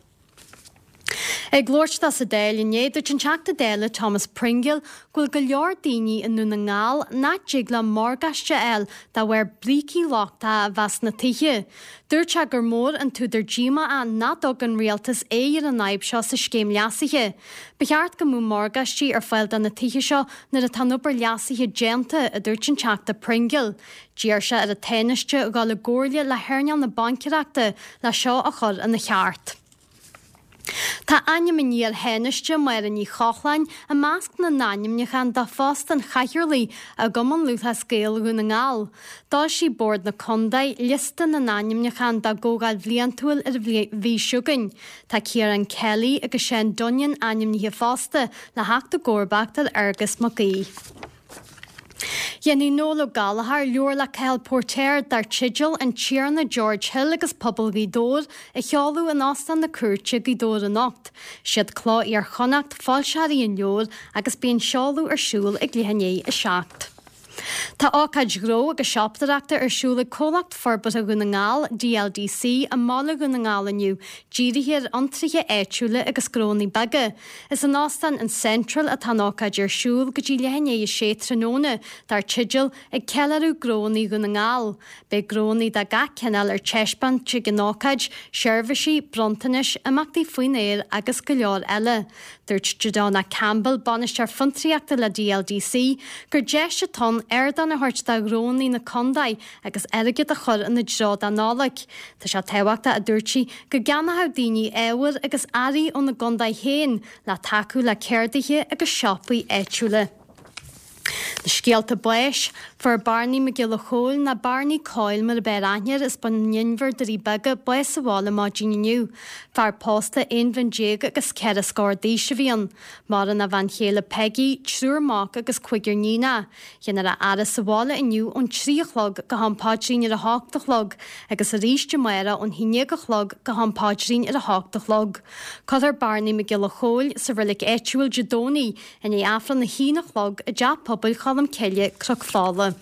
Ag labhairt dó sa Dáil inné, dúirt an Teachta Dála Thomas Pringle go bhfuil go leor daoine i nDún na nGall nach dtig leo morgáiste a fháil de bharr brící lochtacha a bheith sna tithe. Dúirt sé gur mór an t-údar díomá é nach dtug an rialtas aghaidh ar an fhadhb seo sa scéim leasaithe. Ba cheart go mbeadh morgáistí ar fáil do na tithe seo nuair atá an obair leasaithe déanta, a dúirt an Teachta Pringle. D'iarr sé ar an Tánaiste dhul i gcomhairle le hearnáil na baincéireachta le seo a chur ina cheart. Tá ainm an iar-Thánaiste, Máire Ní Chochláin, i measc na n-ainmniúchán do phost an Chathaoirligh i gCumann Lúthchleas Gael Dhún na nGall. D'fhoilsigh Bord na Contae liosta na n-ainmniúchán dá gcomhdháil bhliantúil ar an mhí seo chugainn. Tá Ciarán Kelly agus Seán Dunnion ainmnithe fosta le theacht i gcomharbacht ar Fhearghus Mac Aoidh. Déanfaidh Noel Ó Gallchóir leabhar le Cathal Póirtéir dar teideal An Tiarna George Hill agus Pobal Ghaoth Dobhair a sheoladh in Óstán na Cúirte, Gaoth Dobhair anocht. Siad Cló Iar-Chonnacht foilsitheoirí an leabhair agus beidh an seoladh ar siúl ag leath i ndiaidh a seacht. Tá ócáid ghnó agus siopadóireachta ar siúl ag Comhlacht Forbartha Dhún na nGall, DLDC, i mbaile Dhún na nGall inniu, dírithe ar fhiontraithe áitiúla agus gnónna beaga. Is in Óstán an Central atá an ócáid ar siúl go dtí leath i ndiaidh a sé tráthnóna, dar teideal 'Ag Ceiliúradh Gnónna Dhún na nGall'. Beidh gnónna de gach cineál ar taispeáint ag an ócáid, seirbhísí, bronntanais, imeachtaí faoin aer agus go leor eile. Dúirt Jadonna Campbell, Bainisteoir Fiontraíochta le DLDC, gur deis atá ann ardán a thabhairt do ghnónna na contae agus airgead a chur ina dtreo don Nollaig. Tá sé tábhachtach, a dúirt sí, go gceannódh daoine ábhair agus earraí óna gcontae féin le tacú le ceardaithe agus siopaí áitiúla. Na scéalta báis, Fuair Barney Mac Giolla Chóill, nó Barney Coyle mar a b'fhearr aithne air, as Bun an Inbhir, Doirí Beaga, bás sa bhaile maidin inniu. Fear pósta aon bhliain déag agus ceithre scór d'aois a bhí ann. Maireann a bhean chéile Peggy, triúr mac agus cúigear níonacha. Déanfar a fhaire sa bhaile inniu ón trí a chlog go ham paidrín ar a hocht a chlog agus arís amárach ón haon déag a chlog go ham paidrín ar a hocht a chlog. Cuirfear Barney Mac Giolla Chóill sa reilig áitiúil Dé Domhnaigh i ndiaidh Aifreann a haon a chlog i dTeach Pobail Cholm Cille, Cnoc Fola.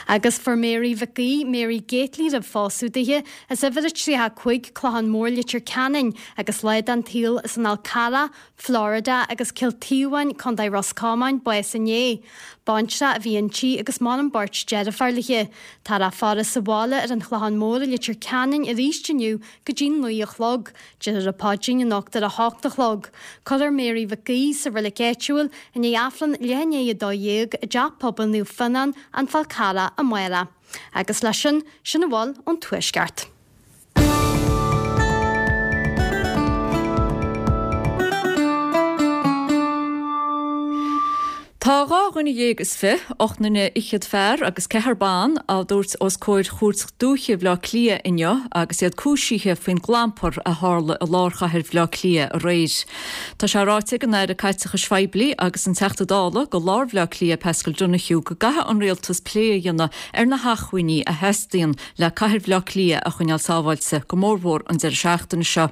Agus fuair Mary Mhic Aoidh, Mary Gately roimh phósadh dithe, as uimhir a tríocha a cúig, Clochán Mór, Leitir Ceanainn, agus lá den tsaol as an Fhál Carrach, Florida, agus Cill Taobháin, Contae Ros Comáin, bás inné. Baintreach a bhí inti agus maireann beirt deirfiúr léi. Táthar á faire sa bhaile ar an Chlochán Mór i Leitir Ceanainn arís inniu go dtí naoi a chlog. Déarfar an paidrín anocht ar a hocht a chlog. Cuirfear Mary Mhic Aoidh sa reilig áitiúil i ndiaidh Aifreann leath i ndiaidh a dó dhéag i dTeach Pobail Naomh Fionnán, An Fál Carrach, amárach. Agus leis sin, sin a bhfuil ón Tuaisceart. Tá dhá dhuine dhéag is fiche, ocht nduine fhichead fear agus ceathrar ban, á dtabhairt os comhair Chúirt Dúiche Bhaile Átha Cliath inniu agus iad cúisithe faoin gclampar a tharla i lár chathair Bhaile Átha Cliath aréir. Tá sé ráite ag an Aire Caiteachais Phoiblí agus an Teachta Dála do lár Bhaile Átha Cliath Paschal Donohoe go gcaithfidh an Rialtas plé a dhéanamh ar na hacmhainní a theastaíonn le cathair Bhaile Átha Cliath a choinneáil sábháilte, go mórmhór an deireadh seachtaine seo.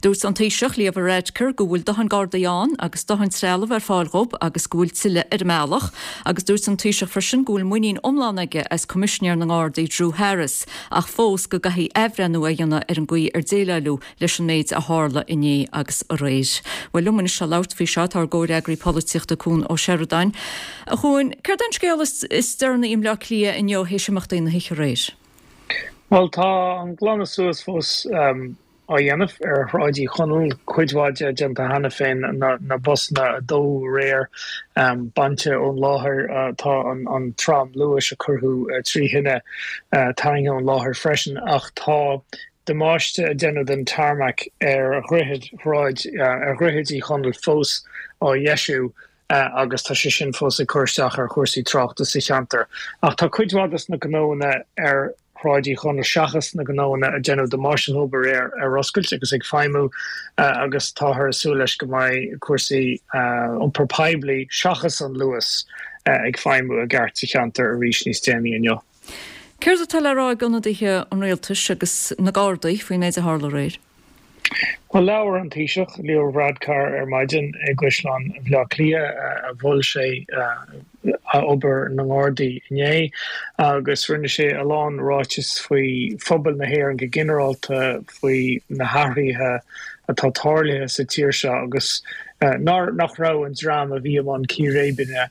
Dúirt an Taoiseach Leo Varadkar go bhfuil dóthain Gardaí ann agus dóthain trealamh ar fáil dhóibh agus go bhfuil tuilleadh ar an mbealach, agus dúirt an Taoiseach freisin go bhfuil muinín iomlán aige as Coimisinéir na nGardaí Drew Harris, ach fós go gcaithfidh athbhreithniú a dhéanamh ar an gcaoi ar déileáladh leis an méid a tharla inné agus aréir. Bhuel liom anois le labhairt faoi seo tá ár gcomhfhreagraí polaitíochta Cuan Ó Seireadáin. A Chuain, céard é an scéal is deireanaí i mBleá Cliath inniu théis imeachtaí na hoíche aréir? Bhuel tá an glanadh suas fós á dhéanamh ar Shráid Uí Chonaill, cuid mhaith de déanta cheana féin, na busanna a dódh aréir bainte ón láthair, tá an tram luais a cuireadh trí thine tarraingthe ón láthair freisin, ach tá damáiste a déanadh den tarmac ar dhroichead Shráid, ar Dhroichead Uí Chonaill fós á dheisiú. agus tá sé sin fós ag cur isteach ar chúrsaí tráchta sa cheantar. Ach tá cuid mhaith des na gnóanna ar Shráid Uí Chonaill, seachas na gnóanna a déanadh damáiste dhóibh aréir, ar oscailt agus ag feidhmiú agus táthar ag súil leis go mbeidh cúrsaí iompar poiblí, seachas an Luas, ag feidhmiú i gceart sa cheantar arís níos déanaí inniu. Céard atá le rá ag ionadaithe an rialtais agus na Gardaí faoin méid a tharla aréir? Bhuel, labhair an Taoiseach, Leo Varadkar ar maidin i gCaisleán Bhaile Átha Cliath, mhol sé obair na nGardaí inné agus rinne sé a lán ráiteas faoi phobal na hÉireann go ginearálta, faoi na hathruithe atá tarlaithe sa tír seo agus nach raibh an dream a bhí i mbun círéibeanna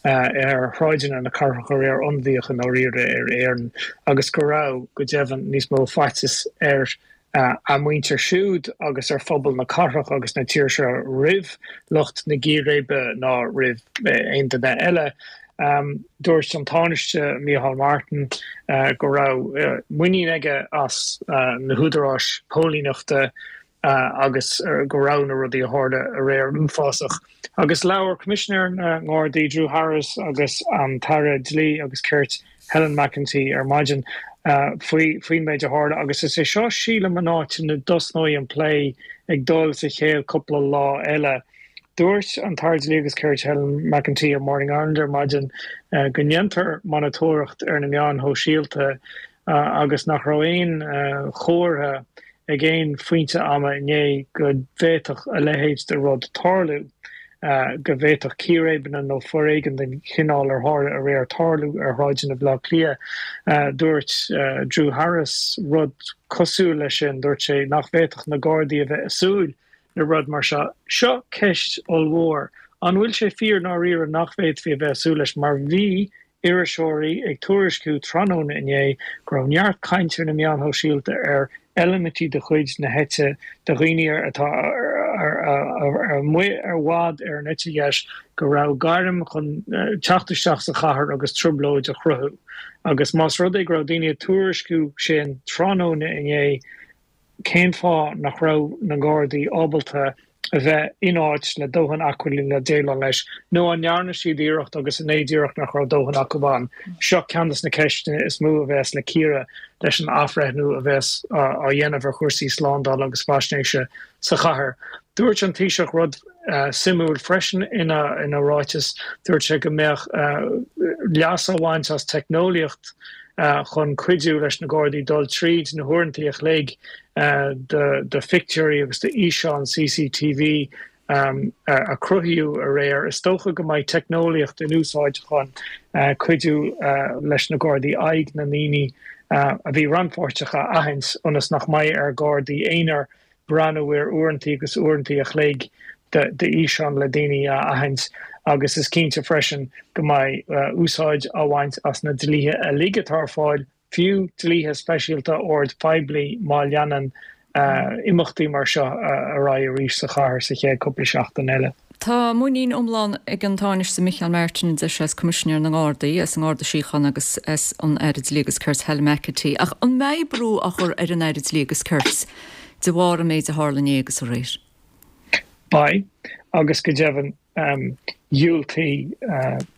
ar shráideanna na cathrach aréir ionadaíoch i ndáiríre ar Éirinn agus go raibh, go deimhin, níos mó faitíos ar a muintir siúd agus ar phobal na cathrach agus na tíre seo roimh lucht na gcíréibe ná roimh aon duine eile. Dúirt an Tánaiste Micheál Martin go raibh muinín aige as na húdaráis póilíneachta agus go raibh na rudaí a tharla aréir uafásach. Agus labhair Coimisinéir na nGardaí Drew Harris agus an tAire Dlí agus Cirt Helen McEntee ar maidin faoi faoin méid a tharla agus is é seo sílim an áit ina dtosnóidh an plé ag dul sa chéad cúpla lá eile. Dúirt an tAire Dlí agus Cirt Helen McEntee ar Morning Ireland ar maidin go ndéantar monatóireacht ar na meáin shóisialta agus nach raibh aon chomhartha ag aon phointe ama inné go bhféadfadh a leithéid de rud tarlú, go bhféadfadh círéibeanna nó foréigean den chineál ar tharla aréir tarlú ar shráideanna Bhaile Átha Cliath. Dúirt Drew Harris rud cosúil leis sin, dúirt sé nach bhféadfadh na Gardaí a bheith ag súil le rud mar seo. Seo ceist ollmhór. An bhfuil sé fíor i ndáiríre nach bhféadfaí a bheith ag súil leis mar bhí iriseoirí ag tuairisciú tráthnóna inné go raibh neart cainte ar na meáin shóisialta ar eilimintí de chuid na heite de dhaoine atá amuigh i bhfad ar an eite dheis go raibh gairm chun teacht isteach sa chathair agus trioblóid a chruthú. Agus más rud é go raibh daoine ag tuairisciú sin tráthnóna inné, Cén fáth nach raibh na Gardaí ábalta a bheith in áit le dóthain acmhainní le déileáil leis? Nó an ndearna siad iarracht agus an é díreach nach raibh dóthain acu ann? Seo ceann de na ceisteanna is mó a bheas le cíoradh leis an athbhreithniú a bheas á dhéanamh ar chúrsaí slándála agus faisnéise sa chathair. Dúirt an Taoiseach rud suimiúil freisin ina ráiteas, dúirt sé go mbeadh leas á bhaint as teicneolaíocht chun cuidiú leis na Gardaí dul tríd na huaireanta a chloig de phictiúirí agus d'fhíseáin CCTV a cruthaíodh aréir. Is dócha go mbeidh teicneolaíocht in úsáid chun cuidiú leis na Gardaí aghaidh na ndaoine a bhí rannpháirteach a aithint ionas nach mbeidh ar Ghardaí aonair breathnú ar uaireanta agus uaireanta a chloig d'fhíseáin le daoine a aithint agus is cinnte freisin go mbeidh úsáid á bhaint as na dlíthe uilig atá ar fáil, fiú dlíthe speisialta ord poiblí má leanann imeachtaí mar seo ar aghaidh arís sa chathair sa chéad cúpla seachtain eile. Tá muinín iomlán ag an Tánaiste Micheál Martin, a deir sé, as Coimisinéir na nGardaí, as an nGarda Síochána agus as an Aire Dlí agus Cirt Helen McEntee. Ach an mbeidh brú á chur ar an Aire Dlí agus Cirt de bharr an méid a tharla inné agus aréir? Beidh, agus go deimhin Dhiúltaigh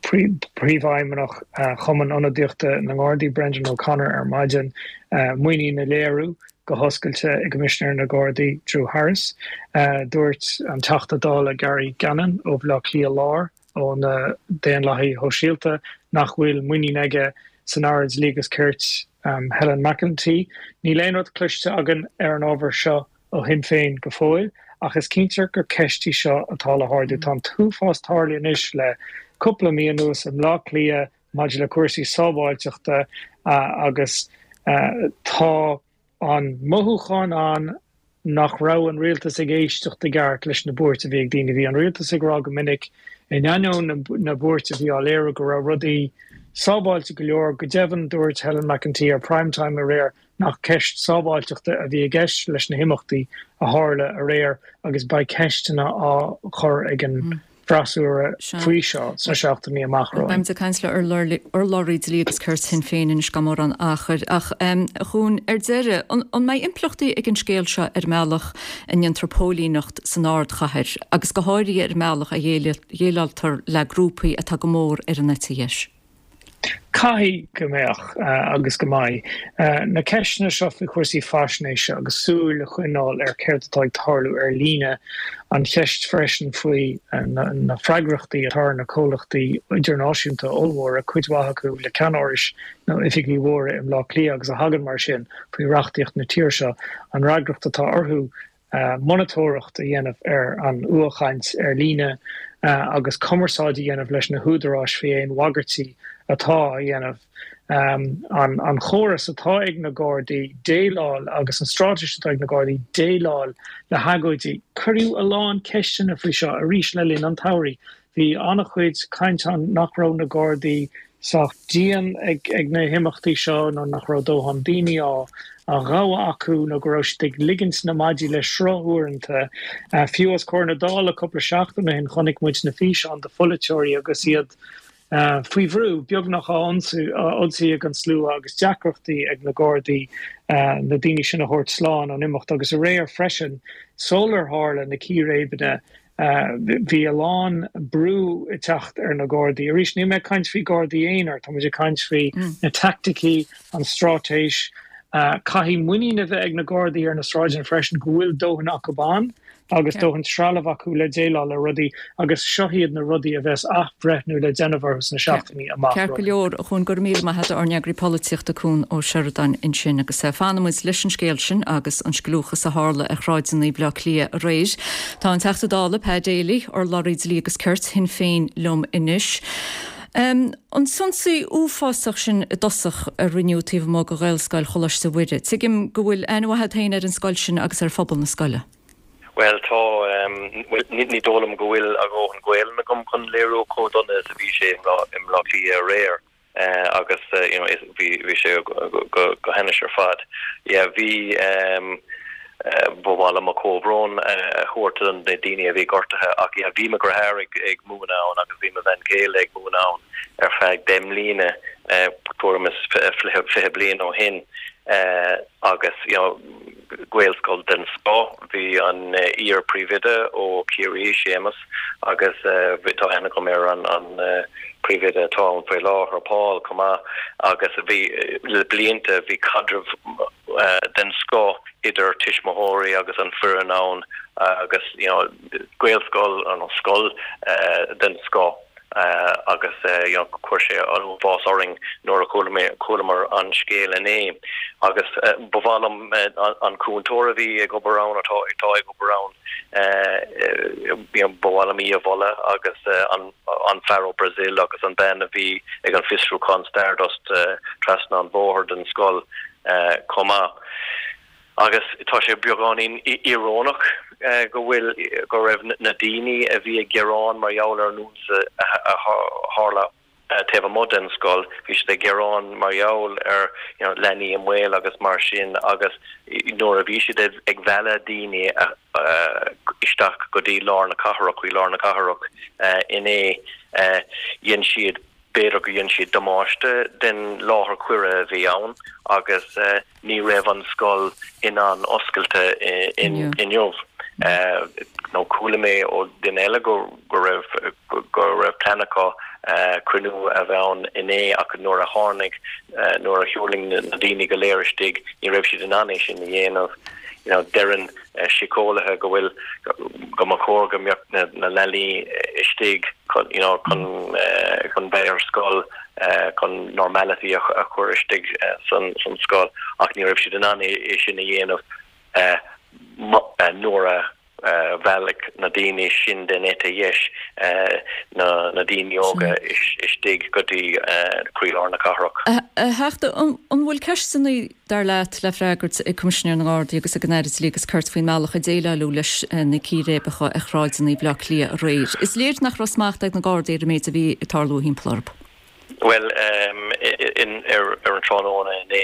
Príomhfheidhmeannach Chumann Ionadaíochta na nGardaí, Brendan O'Connor ar maidin muinín a léiriú go hoscailte i gCoimisinéir na Gardaí, Drew Harris. Dúirt an Teachta Dála Gary Gannon ó Bhaile Átha Cliath Láir ó na Daonlathaithe Shóisialta nach bhfuil muinín aige san Aire Dlí agus Cirt Helen McEntee. Níl aon rud cloiste againn ar an ábhar seo ó Shinn Féin go fóill, ach is cinnte gur ceist í seo atá le hardú. Tá an t-uafás tarlaithe anois le cúpla mí anuas i mBleá Cliath maidir le cúrsaí sábháilteachta agus tá an mothúchán ann nach raibh an rialtas ag éisteacht i gceart leis na buairt a bhí ag daoine. Bhí an rialtas ag rá go minic, in ainneoin na buairt a bhí á léiriú, go raibh rudaí sábháilte go leor. Go deimhin, dúirt Helen McEntee ar Prime Time aréir nach ceist sábháilteachta a bhí i gceist leis na himeachtaí a tharla aréir agus beidh ceisteanna á chur ag an bhfreasúra faoi seo sna seachtainí amach romhainn. Beimid ag caint le urlabhraí Dlí agus Cirt Shinn Féin anois gan mórán achair. Ach a Chuain, ar deireadh, an mbeidh impleachtaí ag an scéal seo ar an mbealach a ndéantar póilíneacht san ardchathair agus go háirithe ar an mbealach a dhéileáiltear le grúpaí atá go mór ar an eite dheis? Caithfidh go mbeadh agus go mbeidh. Na ceisteanna seo faoi chúrsaí faisnéise agus súil a choinneáil ar céard atá ag tarlú ar líne, an cheist freisin faoi na freagrachtaí atá ar na comhlachtaí idirnáisiúnta ollmhóra, cuid mhaith acu le ceannárais nó oifigí mhóra i mBleá Cliath agus a thagann mar sin faoi reachtaíocht na tíre seo, an fhreagracht atá orthu monatóireacht a dhéanamh ar an fhuathchaint ar líne agus cumarsáid a dhéanamh leis na húdaráis faoi aon bhagairtí atá á dhéanamh. An chóras atá ag na Gardaí déileáil agus an straitéis atá ag na Gardaí déileáil le hagóidí. Cuireadh a lán ceisteanna faoi seo arís le linn an tsamhraidh. Bhí an-chuid caint ann nach raibh na Gardaí sách dian ag na himeachtaí seo nó nach raibh dóthain daoine á ghabhadh acu nó go raibh siad ag ligint na maidí le sruth uaireanta. Fiú os comhair na Dála cúpla seachtain ó shin chonaic muid na físeáin de pholaiteoirí agus iad faoi bhrú, beagnach á ionsaí ag an slua agus deacrachtaí ag na Gardaí na daoine sin a thabhairt slán ón imeacht. Agus aréir freisin, sular tharla na círéibeanna, Bhí a lán brú ag teacht ar na Gardaí. Arís, níl mé ag caint faoi Gardaí aonair, tá muid ag caint faoi na teaicticí, an straitéis. Caithfidh muinín a bheith ag na Gardaí ar na sráideanna freisin go bhfuil dóthain acu ann agus dóthain trealamh acu le déileáil le rudaí agus seo iad na rudaí a bheas athbhreithniú le déanamh orthu sna seachtainí amach Ceart go leor, a Chuain, go raibh míle maith agat, ár n-eagraí polaitíochta Cuan Ó Seireadáin ansin agus fanfaimid leis an scéal sin agus an scliúchas a tharla ar shráideanna Bhaile Átha Cliath aréir. Tá an Teachta Dála, Pa Daly, urlabhraí Dlí agus Cirt Shinn Féin liom anois. An t-ionsaí uafásach sin i dtosach a rinneadh taobh amuigh de Ghaelscoil Choláiste Mhuire, tuigim go bhfuil aithne mhaith agat féin ar an scoil sin agus ar phobal na scoile. Bhuel, tá, bhuel, ní dóigh liom go bhfuil a dhóthain Gaelainn agam chun léiriú chomh dona is a bhí sé i mBleá Cliath aréir agus you know bhí bhí sé go go hainnis ar fad. Yeah, bhí ba mhaith liom mo chomhbhrón a thabhairt do na daoine a bhí gortaithe ach yeah, bhí mo dheartháir ag ag múineadh ann agus bhí mo bhean chéile ag múineadh ann ar feadh deich mbliana, tuairim is fiche bliain ó shin agus you know Gaelscoil den scoth. Bhí an iar-phríomhoide ó Chiarraí, Séamus, agus tá aithne agam ar an príomhoide atá ann faoi láthair, Paul, chomh maith agus bhí, le blianta, bhí caidreamh den scoth idir tuismitheoirí agus an foireann ann agus you know Gaelscoil, nó scoil den scoth. agus you know chuir sé an uafás orainn nuair a chualamar an scéal inné agus ba mhaith liom an cúntóir a bhí ag obair ann atá atá ag obair ann you know ba mhaith liom í a mholadh agus an an fear ó Brazil agus an bean a bhí ag an fiosrúchán Stardust trasna an bhóthair den scoil chomh maith. Agus tá sé beagáinín íorónach go bhfuil, go raibh na daoine a bhí ag gearán mar gheall ar an ionsaí a tharla taobh amuigh den scoil, bhí siad ag gearán mar gheall ar you know leanaí i mbaol agus mar sin agus nuair a bhí siad ag mealladh daoine isteach go dtí lár na cathrach, chuig lár na cathrach inné, dhein siad, b'fhéidir go dhein siad damáiste den láthair coire a bhí ann agus. Ní raibh an scoil in ann oscailte inniu. Nó chuala mé ó duine eile go go raibh go raibh plean acu cruinniú a bheith ann inné ach nuair a tháinig nuair a thuirling na daoine go léir istigh ní raibh siad in ann é sin a dhéanamh. You know, deireann síceolaithe go bhfuil go mba chóir go mbeadh na na leanaí istigh chun you know chun chun bheith ar scoil chun normality a a chur istigh san san scoil ach ní raibh siad in ann é sin a dhéanamh nuair a bhailigh na daoine sin den eite dheis na na daoine óga istigh go dtí croílár na cathrach. A Theachta, an bhfuil ceisteanna, dar leat, le freagairt ag Coimisinéir na nGardaí agus ag an Aire Dlí agus Cirt faoin mbealach a déileáladh leis na círéibeacha ar shráideanna Bhaile Átha Cliath aréir? Is léir nach raibh smacht ag na Gardaí ar an méid a bhí ag tarlú thimpeall orthu. Bhuel, ar an tráthnóna inné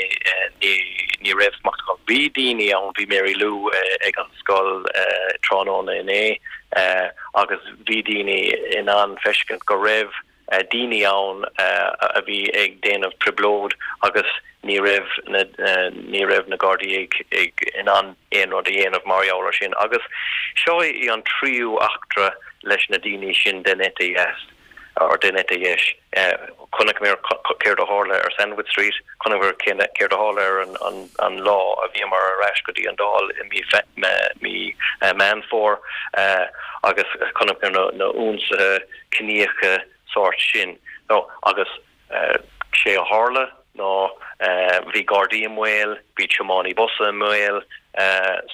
ní raibh smacht acu. Bhí daoine ann, bhí Mary Lou ag an scoil tráthnóna inné agus bhí daoine in ann feiscint go raibh daoine ann a bhí ag déanamh trioblóid agus ní raibh na ní raibh na Gardaí ag ag in ann aon rud a dhéanamh mar gheall ar sin. Agus seo í an tríú eachtra leis na daoine sin den eite dheas. or den eite dheis. Chonaiceamar céard a tharla ar Sandwith Street, chonaiceamar céard a tharla ar an lá a bhíomar ar ais go dtí an Dáil i mí Meán Fómhair agus chonaiceamar na hionsaithe ciníocha sórt sin. Agus sé a tharla ná bhí Gardaí i mbaol, bhí tiománaí busa i mbaol,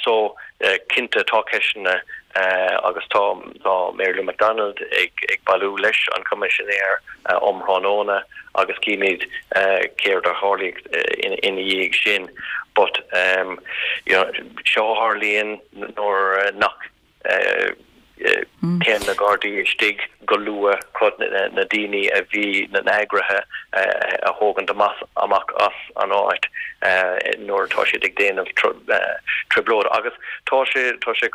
so cinnte tá ceisteanna agus tá tá Mary Lou McDonald ag ag bailiú leis an Coimisinéir um thráthnóna agus címid céard a tharlaíonn ina dhiaidh sin. But you know seo a tharlaíonn nuair nach Téann na Gardaí istigh go luath chun na daoine a bhí, na eagraithe a thógaint amach as an áit nuair atá siad ag déanamh trioblóid. Agus tá sé, tá sé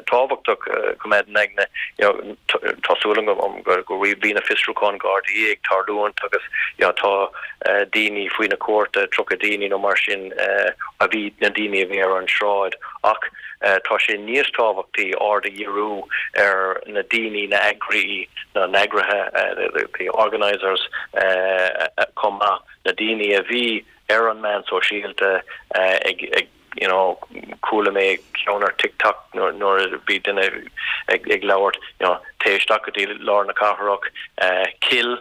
tábhachtach coimeád in aigne, you know, tá súil agam go bhí na fiosrúcháin Gardaí ag tarlúint agus you know tá daoine faoi na cúirte, tríocha daoine nó mar sin a bhí, na daoine a bhí ar an sráid ach, Tá sé níos tábhachtaí aird a dhíriú ar na daoine, na eagraí, na n-eagraithe, the organisers, chomh maith, na daoine a bhí ar an meán sóisialta ag, you know, chuala mé ceann ar TikTok nuair a bhí duine ag labhairt, you know, téigh isteach go dtí lár na cathrach, kill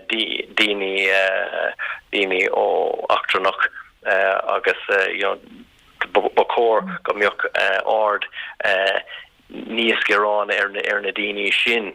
daoine, daoine ó eachtrannach agus, you know, Ba chóir go mbeadh aird níos géire ar na daoine sin,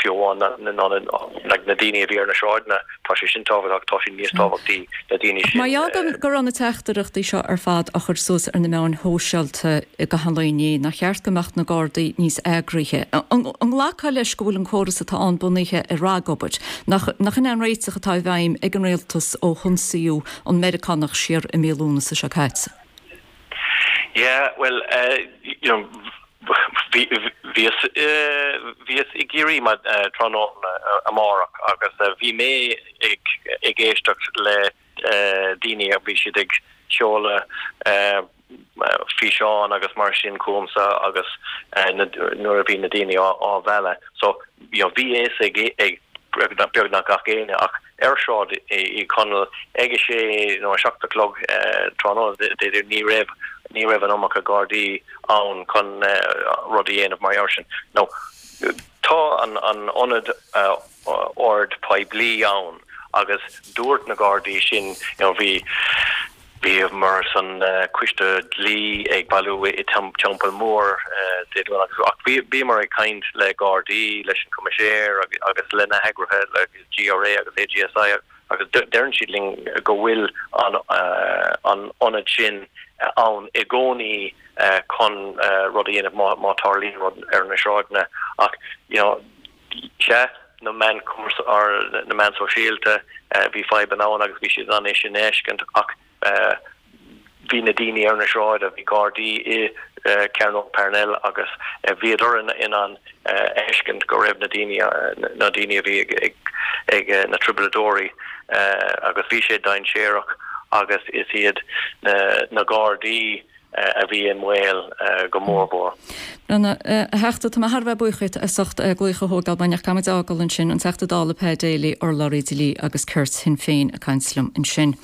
fiú amháin ná na daoine a bhí ar na sráideanna. Tá sé sin tábhachtach, tá sé níos tábhachtaí na daoine sin. Mar gheall go raibh na teachtaireachtaí seo ar fad á chur suas ar na meáin shóisialta i gcaitheamh an lae inné, nár cheart go mbeadh na Gardaí níos eagraithe? An nglacfá leis go bhfuil an córas atá ann bunaithe ar ragobair? Nach in é an réiteach atá i bhfeidhm ag an rialtas ó hionsaíodh an Meiriceánach siar i mí Lúnasa seo caite? Yeah, well, you know, bhíos bhíos i gCiarraí tráthnóna amárach agus bhí mé ag ag éisteacht le daoine a bhí siad ag seoladh físeáin agus mar sin chugamsa agus nuair a bhí na daoine á mhealladh. So, you know, bhí fhios ag ag beagnach gach éinne ach ar Shráid Uí Chonaill ag a sé nó a seacht a chlog tráthnóna Dé ní raibh ní raibh an iomarca Gardaí ann chun rud a dhéanamh mar gheall sin. Now, tá an an ionad ord poiblí ann agus dúirt na Gardaí sin, you know, bhí Bhíomar san Coiste Dlí ag bailiú i Teampall Mór Dé Domhnaigh ach bhíomar ag caint le Gardaí, leis an Coimisinéir agus le na heagraithe, le GRA agus AGSI agus deireann siad linn go bhfuil an ionad sin ann i gcónaí chun rud a dhéanamh má tarlaíonn rud ar na sráideanna ach you know sea na meáin na meáin sóisialta, bhí fadhbanna ann agus bhí siad in ann é sin a fheiscint ach bhí na daoine ar na sráideanna, bhí Gardaí i Cearnóg Parnell agus bhíodar in ann a fheiscint go raibh na daoine, na daoine a bhí ag na trioblóideoirí agus bhí sé dainséarach agus is iad na Gardaí a bhí i mbaol go mór mhór. Brenna, a Theachta, tá mé thar a bheith buíoch díot as ucht glaoch a thógáil, ach caithfidh muid fágáil ansin, an Teachta Dála Pat Daly, urlabhraí dlí agus cirt Shinn Féin ag caint liom ansin.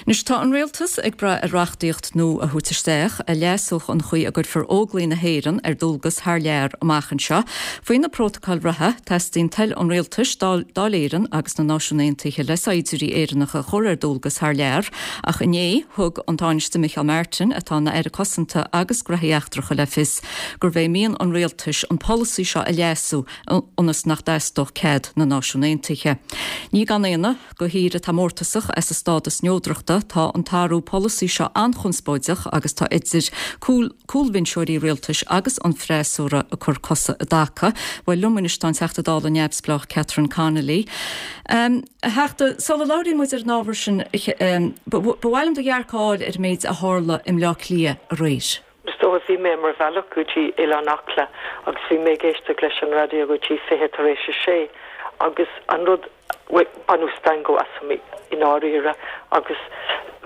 Anois tá an rialtas ag brath ar reachtaíocht nua a thabhairt isteach a leasódh an chaoi a gcuirfear Óglaigh na hÉireann ar dualgas thar lear amach anseo. Faoi na prótacail reatha, teastaíonn toil an rialtais, Dáil Éireann agus na Náisiún Aontaithe le saighdiúirí Éireannacha a chur ar dualgas thar lear, ach inné thug an Tánaiste Micheál Martin, atá ina Aire Cosanta agus Gnóthaí Eachtracha le fios gurbh é mian an rialtais an polasaí seo a leasú ionas nach dteastódh cead na Náisiún Aontaithe. Ní gan ionadh do thír atá mórtasach as a stádas neodrachta, tá an t-athrú polasaí seo an-chonspóideach agus tá idir cúlbhinseoirí rialtais agus an freasúra ag cur cosa i dtaca. Bhuel liom anois tá an Teachta Dála neamhspleách Catherine Connolly. A Theachta, sula labhraíonn muid ar an ábhar sin, ba mhaith liom do dhearcadh a fháil ar an méid a tharla i mBleá Cliath aréir. Is dócha, bhí mé ar mo bhealach go dtí Oileán Acla agus bhí mé ag éisteacht leis an raidió go dtí fiche tar éis a sé agus an rud, bhuel, baineadh stangadh asam i ndáiríre agus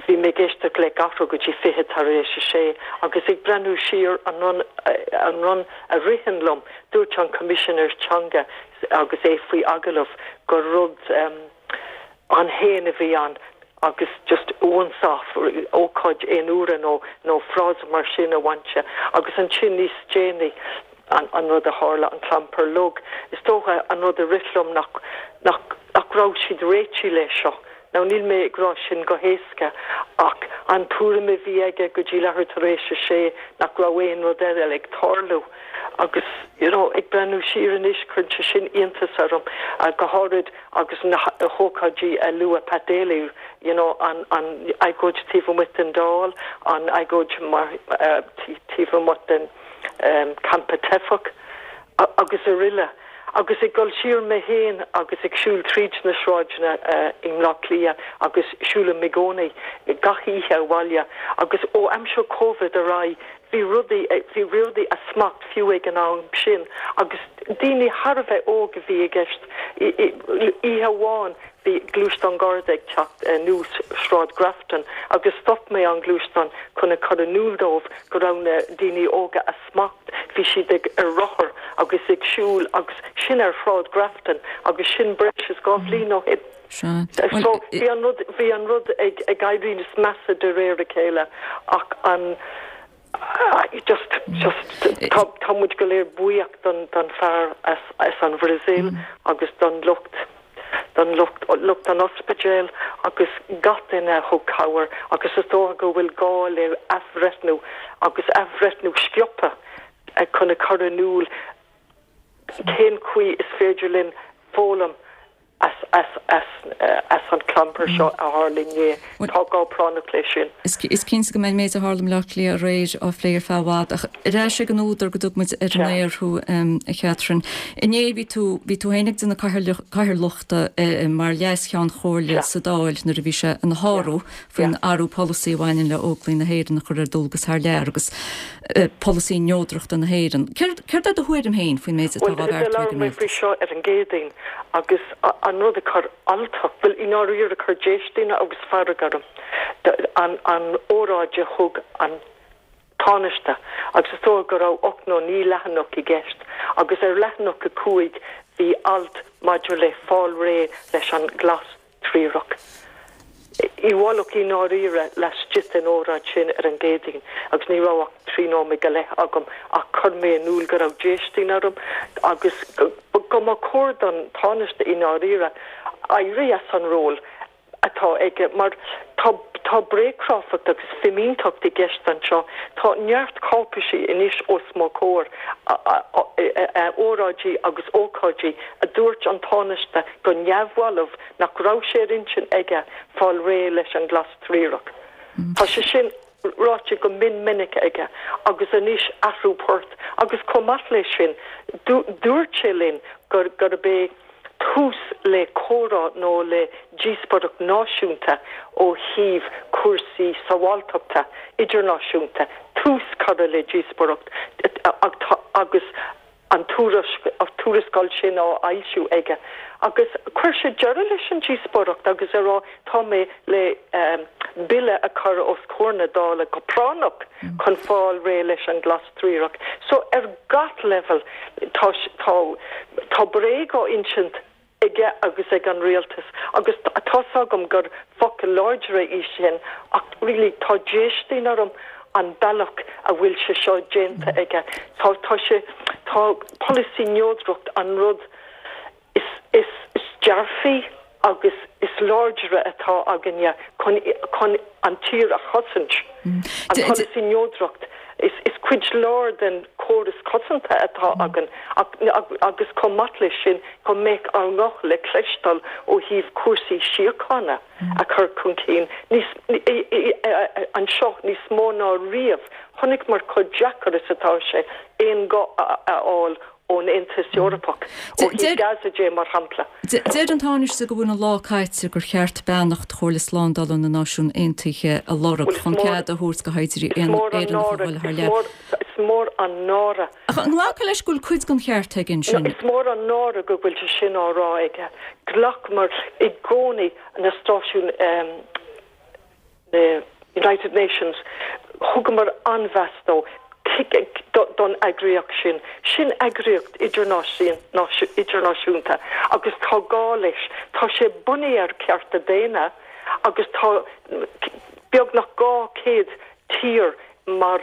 bhí mé ag éisteacht le gach rud go dtí fiche tar éis a sé agus ag breathnú siar an rud, an rud a ritheann liom, dúirt an Coimisinéir Teanga agus é faoi agallamh gur rud ann féin a bhí ann agus just once off, ócáid aon uaire nó nó frása mar sin a bhain sé agus ansin níos déanaí an an rud a tharla, an clampar lug. Is dócha an rud a rith liom nach nach nach raibh siad réitithe le seo. Now níl mé ag rá sin go héasca ach an tuairim a bhí aige go dtí leathuair tar éis a sé nach raibh aon rud eile ag tarlú agus you know ag breathnú siar anois cuireann sé sin iontas orm go háirid agus na hócáidí a luaigh Pat Daly you know an an agóid taobh amuigh den Dáil, an agóid mar taobh amuigh den campa teifeach agus araile. Agus ag dul siar mé féin agus ag siúl tríd na sráideanna i mBleá Cliath agus siúlaim i gcónaí gach oíche abhaile agus ó aimsir Covid ar aghaidh bhí rudaí bhí rudaí as smacht fiú ag an am sin agus daoine thar a bheith óg a bhí i gceist. Oíche amháin bhí gluaisteán Garda ag teacht anuas Sráid Grafton agus stop mé an gluaisteán chun a chur in iúl dóibh go raibh na daoine óga as smacht, bhí siad ag ar rothar agus ag siúl agus sin ar Shráid Grafton agus sin breis is dhá bhliain ó shin. So bhí an rud bhí an rud ag ag éirí níos measa de réir a chéile ach an just just tá tá muid go léir buíoch don don fear as as an Bhrasaíl agus don lucht don lucht lucht an ospidéil agus gach duine a thug cabhair agus is dócha go bhfuil gá le athbhreithniú agus athbhreithniú sciobtha chun a chur in iúl cén chaoi is féidir linn foghlaim as as as as an clampar seo a tharla inné. Tá gá práinneach leis sin. Is cinnte go mbeidh an méid a tharla i mBleá Cliath aréir á phlé ar feadh i bhfad ach ar ais ag an údar go dtug muid ar an aer thú, a Chatherine. Inné bhí tú bhí tú féin ag déanamh cathaoirleachta mar Leas-Cheann Chomhairle sa Dáil nuair a bhí sé ina shárú faoin athrú polasaí a bhaineann le Óglaigh na hÉireann a chur ar dualgas thar lear agus polasaí neodrachta na hÉireann. Céard é do thuairim féin faoin méid atá á bheartú ag an Labhair mé faoi seo ar an gCéadaoin agus an rud a chuir alltacht, bhuel i ndáiríre a chuir déistin agus fearg orm, an an óráid a thug an Tánaiste agus is dócha go raibh ocht nó naoi leathanach i gceist agus ar leathanach a cúig bhí alt maidir le fáil réidh leis an ghlas triarach. I bhfolach i ndáiríre laistigh den óráid sin ar an gCéadaoin agus ní raibh ach trí nóiméad go leith agam ach chuir mé in iúl go raibh déistin orm agus go mba chóir don Tánaiste i ndáiríre éirí as an ról atá aige mar tá tá bréagchráifeacht agus fimínteacht i gceist anseo. Tá neart cáipeisí anois os mo chomhair, óráidí agus ócáidí a dúirt an Tánaiste go neamhbhalbh nach raibh sé ar intinn aige fáil réidh leis an ghlas triarach. Tá sé sin ráite go mion minic aige agus anois athrú poirt agus chomh maith leis sin dúirt sé linn gurb é tús le comhrá nó le díospóireacht náisiúnta ó thaobh cúrsaí sábháilteachta idirnáisiúnta, tús curtha le díospóireacht agus an tuarascáil sin á fhoilsiú aige agus chuir sé deireadh leis an díospóireacht agus a rá tá mé le bille a chur os comhair na Dála go práinneach chun fáil réidh leis an glas triarach. So ar gach level tá tá tá bréag á insint aige agus ag an rialtas agus tá's agam gur focal láidre í sin ach really tá déistin orm an bealach a bhfuil sé seo déanta aige. Tá tá sé tá polasaí neodracht an rud is is is dearfaí agus is láidre atá againne chun chun an tír a chosaint. An polasaí neodracht is is cuid lár den córas cosanta atá againn agus chomh maith leis sin go mbeadh ár nguth le cloisteáil ó thaobh cúrsaí síochána a chur chun cinn níos anseo níos mó ná riamh. Chonaiceamar chomh deacair is atá sé aon ghuth a fháil ón Aontas Eorpach, ó thaobh Gaza de mar shampla. Deir an Tánaiste go bhfuil an lá caite gur cheart beannacht Chomhairle Slándála na Náisiún Aontaithe a lorg chun cead a thabhairt do shaighdiúirí Éireannacha a dhul thar lear. Is mór an náire. Ach an nglacfá leis go bhfuil cuid den cheart aige ansin? Is mór an náire go bhfuil sé sin á rá aige. Ghlacamar i gcónaí na stáisiún na United Nations, thugamar an-mheas dó. don eagraíocht sin. Sin eagraíocht idirnáisiúnta agus tá gá leis. Tá sé bunaithe ar cearta daonna agus tá beagnach dhá chéad tír mar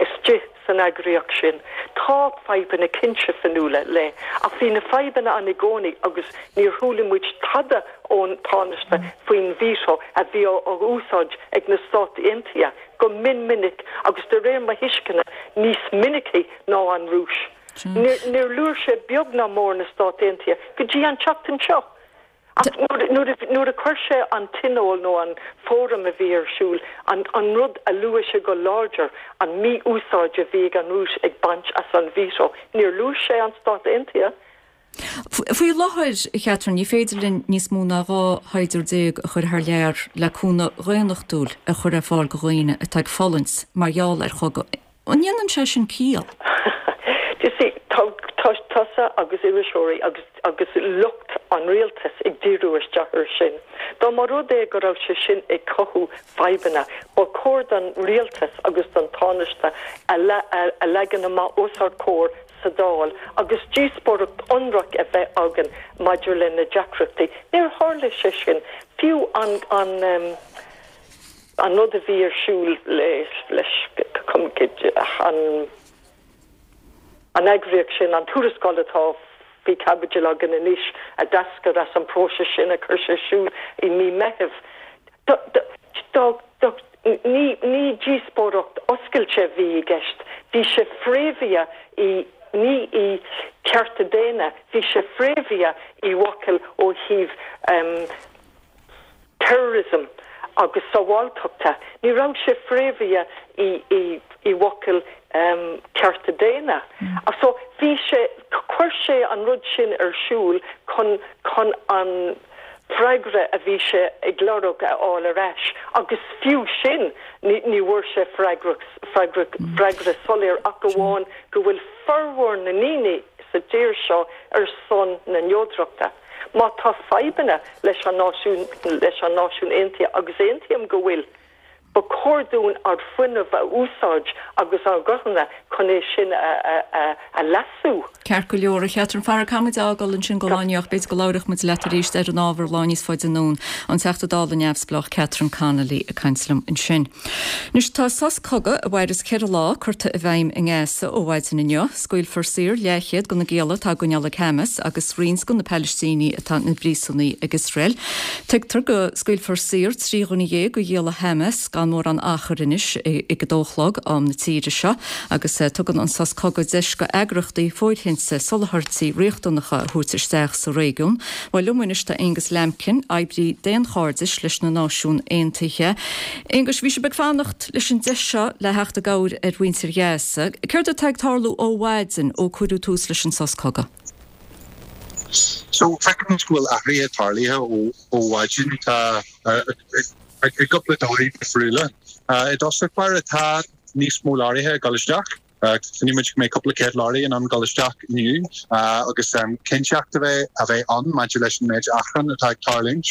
istigh san eagraíocht sin. Tá fadhbanna cinnte fionnuala le, ach bhí na fadhbanna ann i gcónaí agus níor chuala muid tada ón Tánaiste faoin veto a bhí á úsáid ag na Stáit Aontaithe go mion minic agus de réir mo thuisceana níos minicí ná an Rúis. Níor luaigh sé beag ná mór na Stáit Aontaithe go dtí an tseachtain seo. Ach nuair a chuir sé an tionól nó an fóram a bhí ar siúl, an an rud a luaigh sé go láidir, an mí-úsáid a bhí ag an Rúis ag baint as an veto, níor luaigh sé an Stát Aontaithe. Faoi láthair, a Chatherine, ní féidir linn níos mó ná dhá shaighdiúir déag a chur thar lear le cúnamh dhaonnachtúil a chur ar fáil do dhaoine atá ag fulaingt mar gheall ar chogadh. An ndéanann sé sin ciall? You see, tá tusa agus iriseoirí agus agus lucht an rialtais ag díriú isteach air sin. Dá mba rud é go raibh sé sin ag cothú fadhbanna, ba chóir don rialtas agus don Tánaiste a a leagan amach os ár gcomhair sa Dáil agus díospóireacht ionraic a bheith againn maidir le na deacrachtaí. Níor tharla sé sin. Fiú an an an rud a bhí ar siúl leis leis an an eagraíocht sin, an tuarascáil atá faoi chaibidil againn anois a d'eascair as an bpróiseas sin a chuir sé ar siúl i mí Meithimh. Ní ní díospóireacht oscailte a bhí i gceist, bhí sé fréamhaithe i ní i cearta daonna, bhí sé fréamhaithe i bhfocail ó thaobh terrorism agus sábháilteachta. Ní raibh sé fréamhaithe i i i bhfocail cearta daonna. So bhí sé chuir sé an rud sin ar siúl chun chun an freagra a bhí sé ag lorg a fháil ar ais agus fiú sin ní ní bhfuair sé freagra freagra freagra soiléir ach amháin go bhfuil formhór na ndaoine sa tír seo ar son na neodrachta. Má tá fadhbanna leis an náisiún leis an Náisiún Aontaithe agus aontaím go bhfuil, ba chóir dúinn ár bhfuinneamh a úsáid agus ár guthanna chun é sin a leasú. Ceart go leor, a Chatherine, fara caithfidh muid a fhágáil ansin go lá inniu ach b'fhéidir go labhróidh muid leat arís ar an ábhar lá níos faide anonn. An Teachta Dála neamhspleách Catherine Connolly ag caint liom ansin. Anois tá sos cogaidh a mhairfeas ceithre lá curtha i bhfeidhm i nGaza ó mhaidin inniu. Scaoilfear saor leathchéad de na gialla atá á gcoinneáil ag Hamas agus roinnt de na Palaistínigh atá ina bpríosúnaigh ag Iosrael. Tuigtear go scaoilfear saor trí dhuine dhéag de ghialla Hamas gan mórán achair anois ag a dó a chlog am na tíre seo agus tugann an sos cogaidh deis do eagraíochtaí fóirithinte soláthairtí riachtanacha a thabhairt isteach sa réigiún. Bhuel liom anois tá Aonghus Lambkin, oibrí daonchairdis leis na Náisiúin Aontaithe. Aonghus, bhí sibh ag fanacht leis an deis seo le theacht i gcabhair ar mhuintir Ghaza. Céard atá ag tarlú ó mhaidin ó cuireadh tús leis an sos cogaidh? So feicimid go bhfuil athruithe tarlaithe ó ó mhaidin. Tá i gcúpla dóigh difriúla. I dtosach báire tá níos mó leoraithe ag dul isteach. Cluineann muid go mbeidh cúpla céad leoraí in ann dul isteach inniu agus cinnteacht a bheith a bheith ann maidir leis an méid achrann atá ag tarlúint.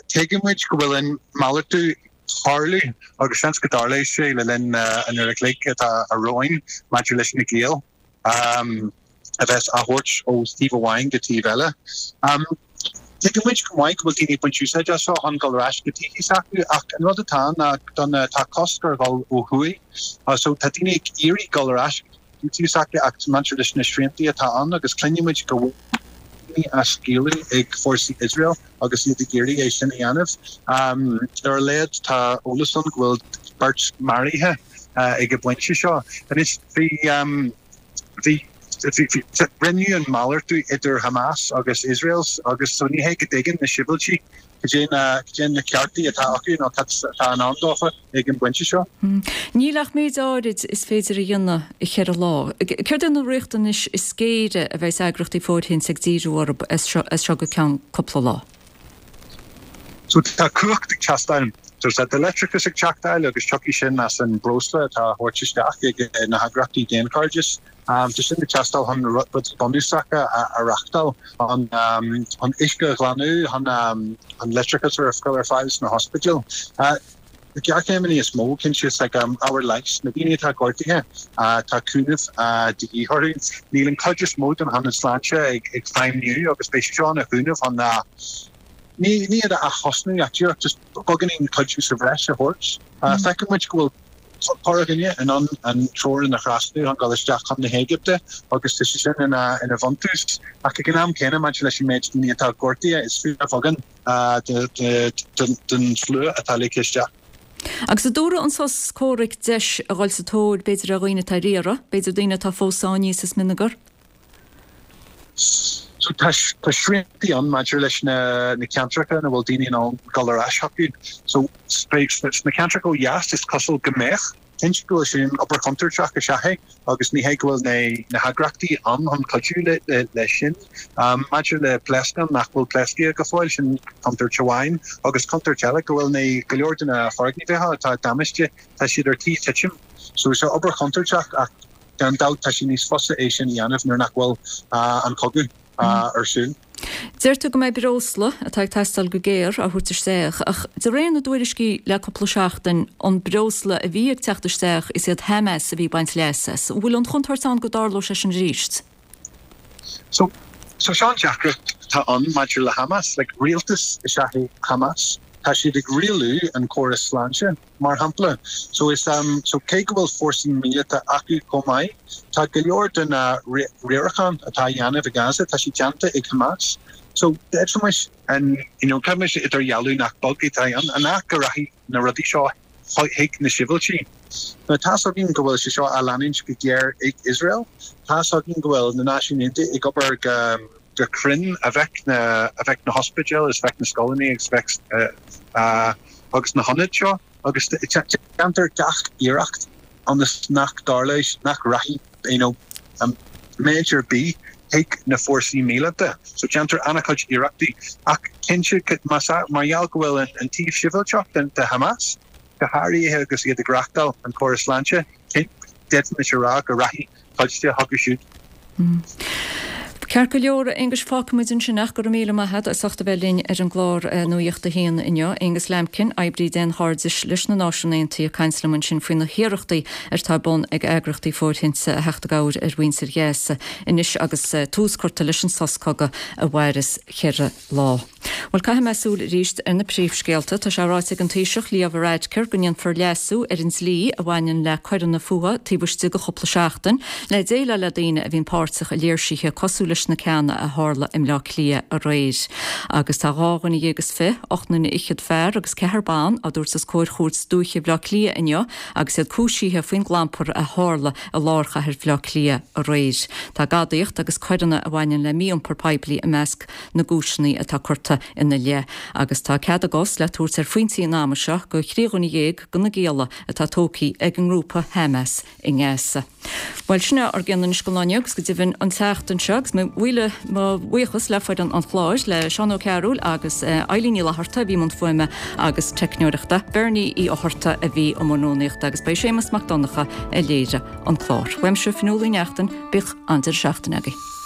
Tuigeann muid go bhfuil an malartú ag tarlú agus seans go dtarlóidh sé le linn an uair a chloig atá romhainn maidir leis na giall a bheas á thabhairt ó thaobh amháin go taobh eile. Tuigeann muid go maith go bhfuil daoine ag baint úsáid as seo chun dul ar ais go tithe s'acu ach an rud atá ann ná don tá cosc ar dhul ó thuaidh so tá daoine ag iarraidh dul ar ais go tithe s'acu ach maidir leis na sriantaí atá ann agus cluineann muid go bhfuil daoine á scaoileadh ag fórsaí Iosrael agus iad ag iarraidh é sin a dhéanamh. Ar a laghad tá eolas ann go bhfuil beirt maraithe ag an bpointe seo. Anois bhí bhí Rinneadh an malartú idir Hamas agus Iosrael agus so ní hé go dtuigeann na sibhialtaigh cad é na cad é na ceartaí atá acu nó cad atá i ndán dófa ag an bpointe seo. Níl ach méid áirid is féidir a dhéanamh i cheithre lá. Céard é na riachtanais is géire a bheas eagraíochtaí fóirithinte ag díriú orthu as seo go ceann cúpla lá? So tá cumhacht ag teastáil. So tá leictreachas ag teastáil agus tiocfaidh sin as an breosla atá á thabhairt isteach ag na heagraíochtaí daonchairdis. Tá sin ag teastáil chun rudaí bunúsacha a reachtáil, chun an uisce a ghlanadh, chun an leictreachas a chur ar fáil sna hospidéil. Na géarchéimeanna is mó, cinnte, is like ábhar leighis, na daoine atá gortaithe, tá cúnamh de dhíth orthu. Níl an chuid is mó den ionad sláinte ag feidhmiú agus beidh sé seo ina chúnamh chun ní ní iad a ath-thosnú ach díreach just beagáinín cuidiú sa bhreis a thabhairt. Feiceann muid go bhfuil corrdhuine in ann an teorainn a thrasnú chun dul isteach chun na hÉigipte agus tá sé sin ina ina bhuntús. Ach ag an am céanna maidir leis an méid daoine atá gortaithe is fíorbheagán den slua atá ligthe isteach. Agus an dtabharfaidh an sos comhraic deis a dhul sa tóir b'fhéidir ar dhaoine atá ar iarraidh, b'fhéidir daoine atá fós sáinnithe sa smionagar? So tá tá sriantaí ann maidir leis na na ceantracha ina bhfuil daoine in ann dul ar ais chucu. So sna ceantracha ó dheas is cosúil go mbeadh. Cinnte go bhfuil sin obair chontúirteach is ea é agus ní hé go bhfuil na na heagraíochtaí ann chun cuidiú le le leis sin. Maidir le pléascáin nach bhfuil pléasctha go fóill, sin contúirt amháin agus contúirt eile go bhfuil na go leor de na foirgnimh atá damáiste, tá siad ar tí titim. So is obair chontúirteach ach Gan dabht, tá sé níos fusa é sin a dhéanamh nuair nach bhfuil an cogadh ar siúl. Deir tú go mbeidh breosla, atá ag teastáil go géar, á thabhairt isteach, ach de réir na dtuairiscí le cúpla seachtain, an breosla a bhí ag teacht isteach, is iad Hamas a bhí ag baint leas as. An bhfuil an chontúirt ann go dtarlódh sé sin arís? So, so seo an deacracht atá ann maidir le Hamas. Like, rialtas is ea é Hamas. Tá siad ag rialú an córas sláinte, mar shampla. So is, so cé go bhfuil fórsaí míleata acu chomh maith, tá go leor de na riarachán atá á dhéanamh i Gaza, tá sé déanta ag Hamas. So d'fhéadfaimis an, you know, caithfimis idirdhealú nach beag atá ann, an ea go rachaidh na rudaí seo chuig na sibhialtaigh. Now tá's againn go bhfuil sé seo á leanúint go géar ag Iosrael. Tá's againn go bhfuil na Náisiúin Aontaithe ag obair go go cruinn a bheadh na a bheadh na hospidéil is bheadh na scoileanna agus bheadh agus na hionaid seo agus déantar gach iarracht ionas nach dtarlóidh nach rachaidh you know méid ar bith chuig na fórsaí míleata. So déantar an-chuid iarrachtaí ach cinnte más mar gheall go bhfuil an taobh sibhialtach de Hamas go háirithe agus iad ag reachtáil an córas sláinte, d'fhéadfaimis a rá go rachaidh cuid de chucu siúd. Ceart go leor, a Aonghuis, fágfaimid ansin ach go raibh míle maith agat as ucht a bheith linn ar an gclár Nuacht a hAon inniu. Aonghus Lambkin, oibrí daonchairdis leis na Náisiúin Aontaithe ag caint liom ansin faoi na hiarrachtaí atá ar bun ag eagraíochtaí fóirithinte a theacht i gcabhair ar mhuintir Ghaza anois agus tús curtha leis an sos cogaidh a mhairfeas ceithre lá. Bhuel, caithfidh mé súil arís ar na príomhscéalta. Tá sé ráite ag an Taoiseach Leo Varadkar go ndéanfar leasú ar an dlí a bhaineann le coireanna fuatha taobh istigh de chúpla seachtain le déileáil le daoine a bhíonn páirteach i léirsithe cosúil leis na ceanna a tharla i mBleá Cliath aréir. Agus tá dhá dhuine dhéag is fiche, ocht nduine fhichead fear agus ceathrar ban, á dtabhairt os comhair Chúirt Dúiche Bhaile Átha Cliath inniu agus iad cúisithe faoin gclampar a tharla i lár chathair Bhaile Átha Cliath aréir. Tá gadaíocht agus coireanna a bhaineann le mí-iompar poiblí i measc na gcúiseanna atá curtha sibhialta ina leith agus tá cead a gcos le tabhairt ar phointí an ama seo do thrí dhuine dhéag de na gialla atá tógtha ag an ngrúpa Hamas i nGaza. Bhuel sin ár gceann anois don lá inniu agus go deimhin an tseachtain seo agus mo mhíle mo bhuíochas le foireann an chláir le Seán Ó Cearúil agus Eilín Ní Fhlatharta a bhí i mbun fuaime agus teicneoireachta, Bernie Uí Fhátharta a bhí i mbun rúnaíochta agus ba é Séamus Mac Donncha a léirigh an clár. Uaimse Fionnuala Ní Neachtain, bíodh an-deireadh seachtaine agaibh.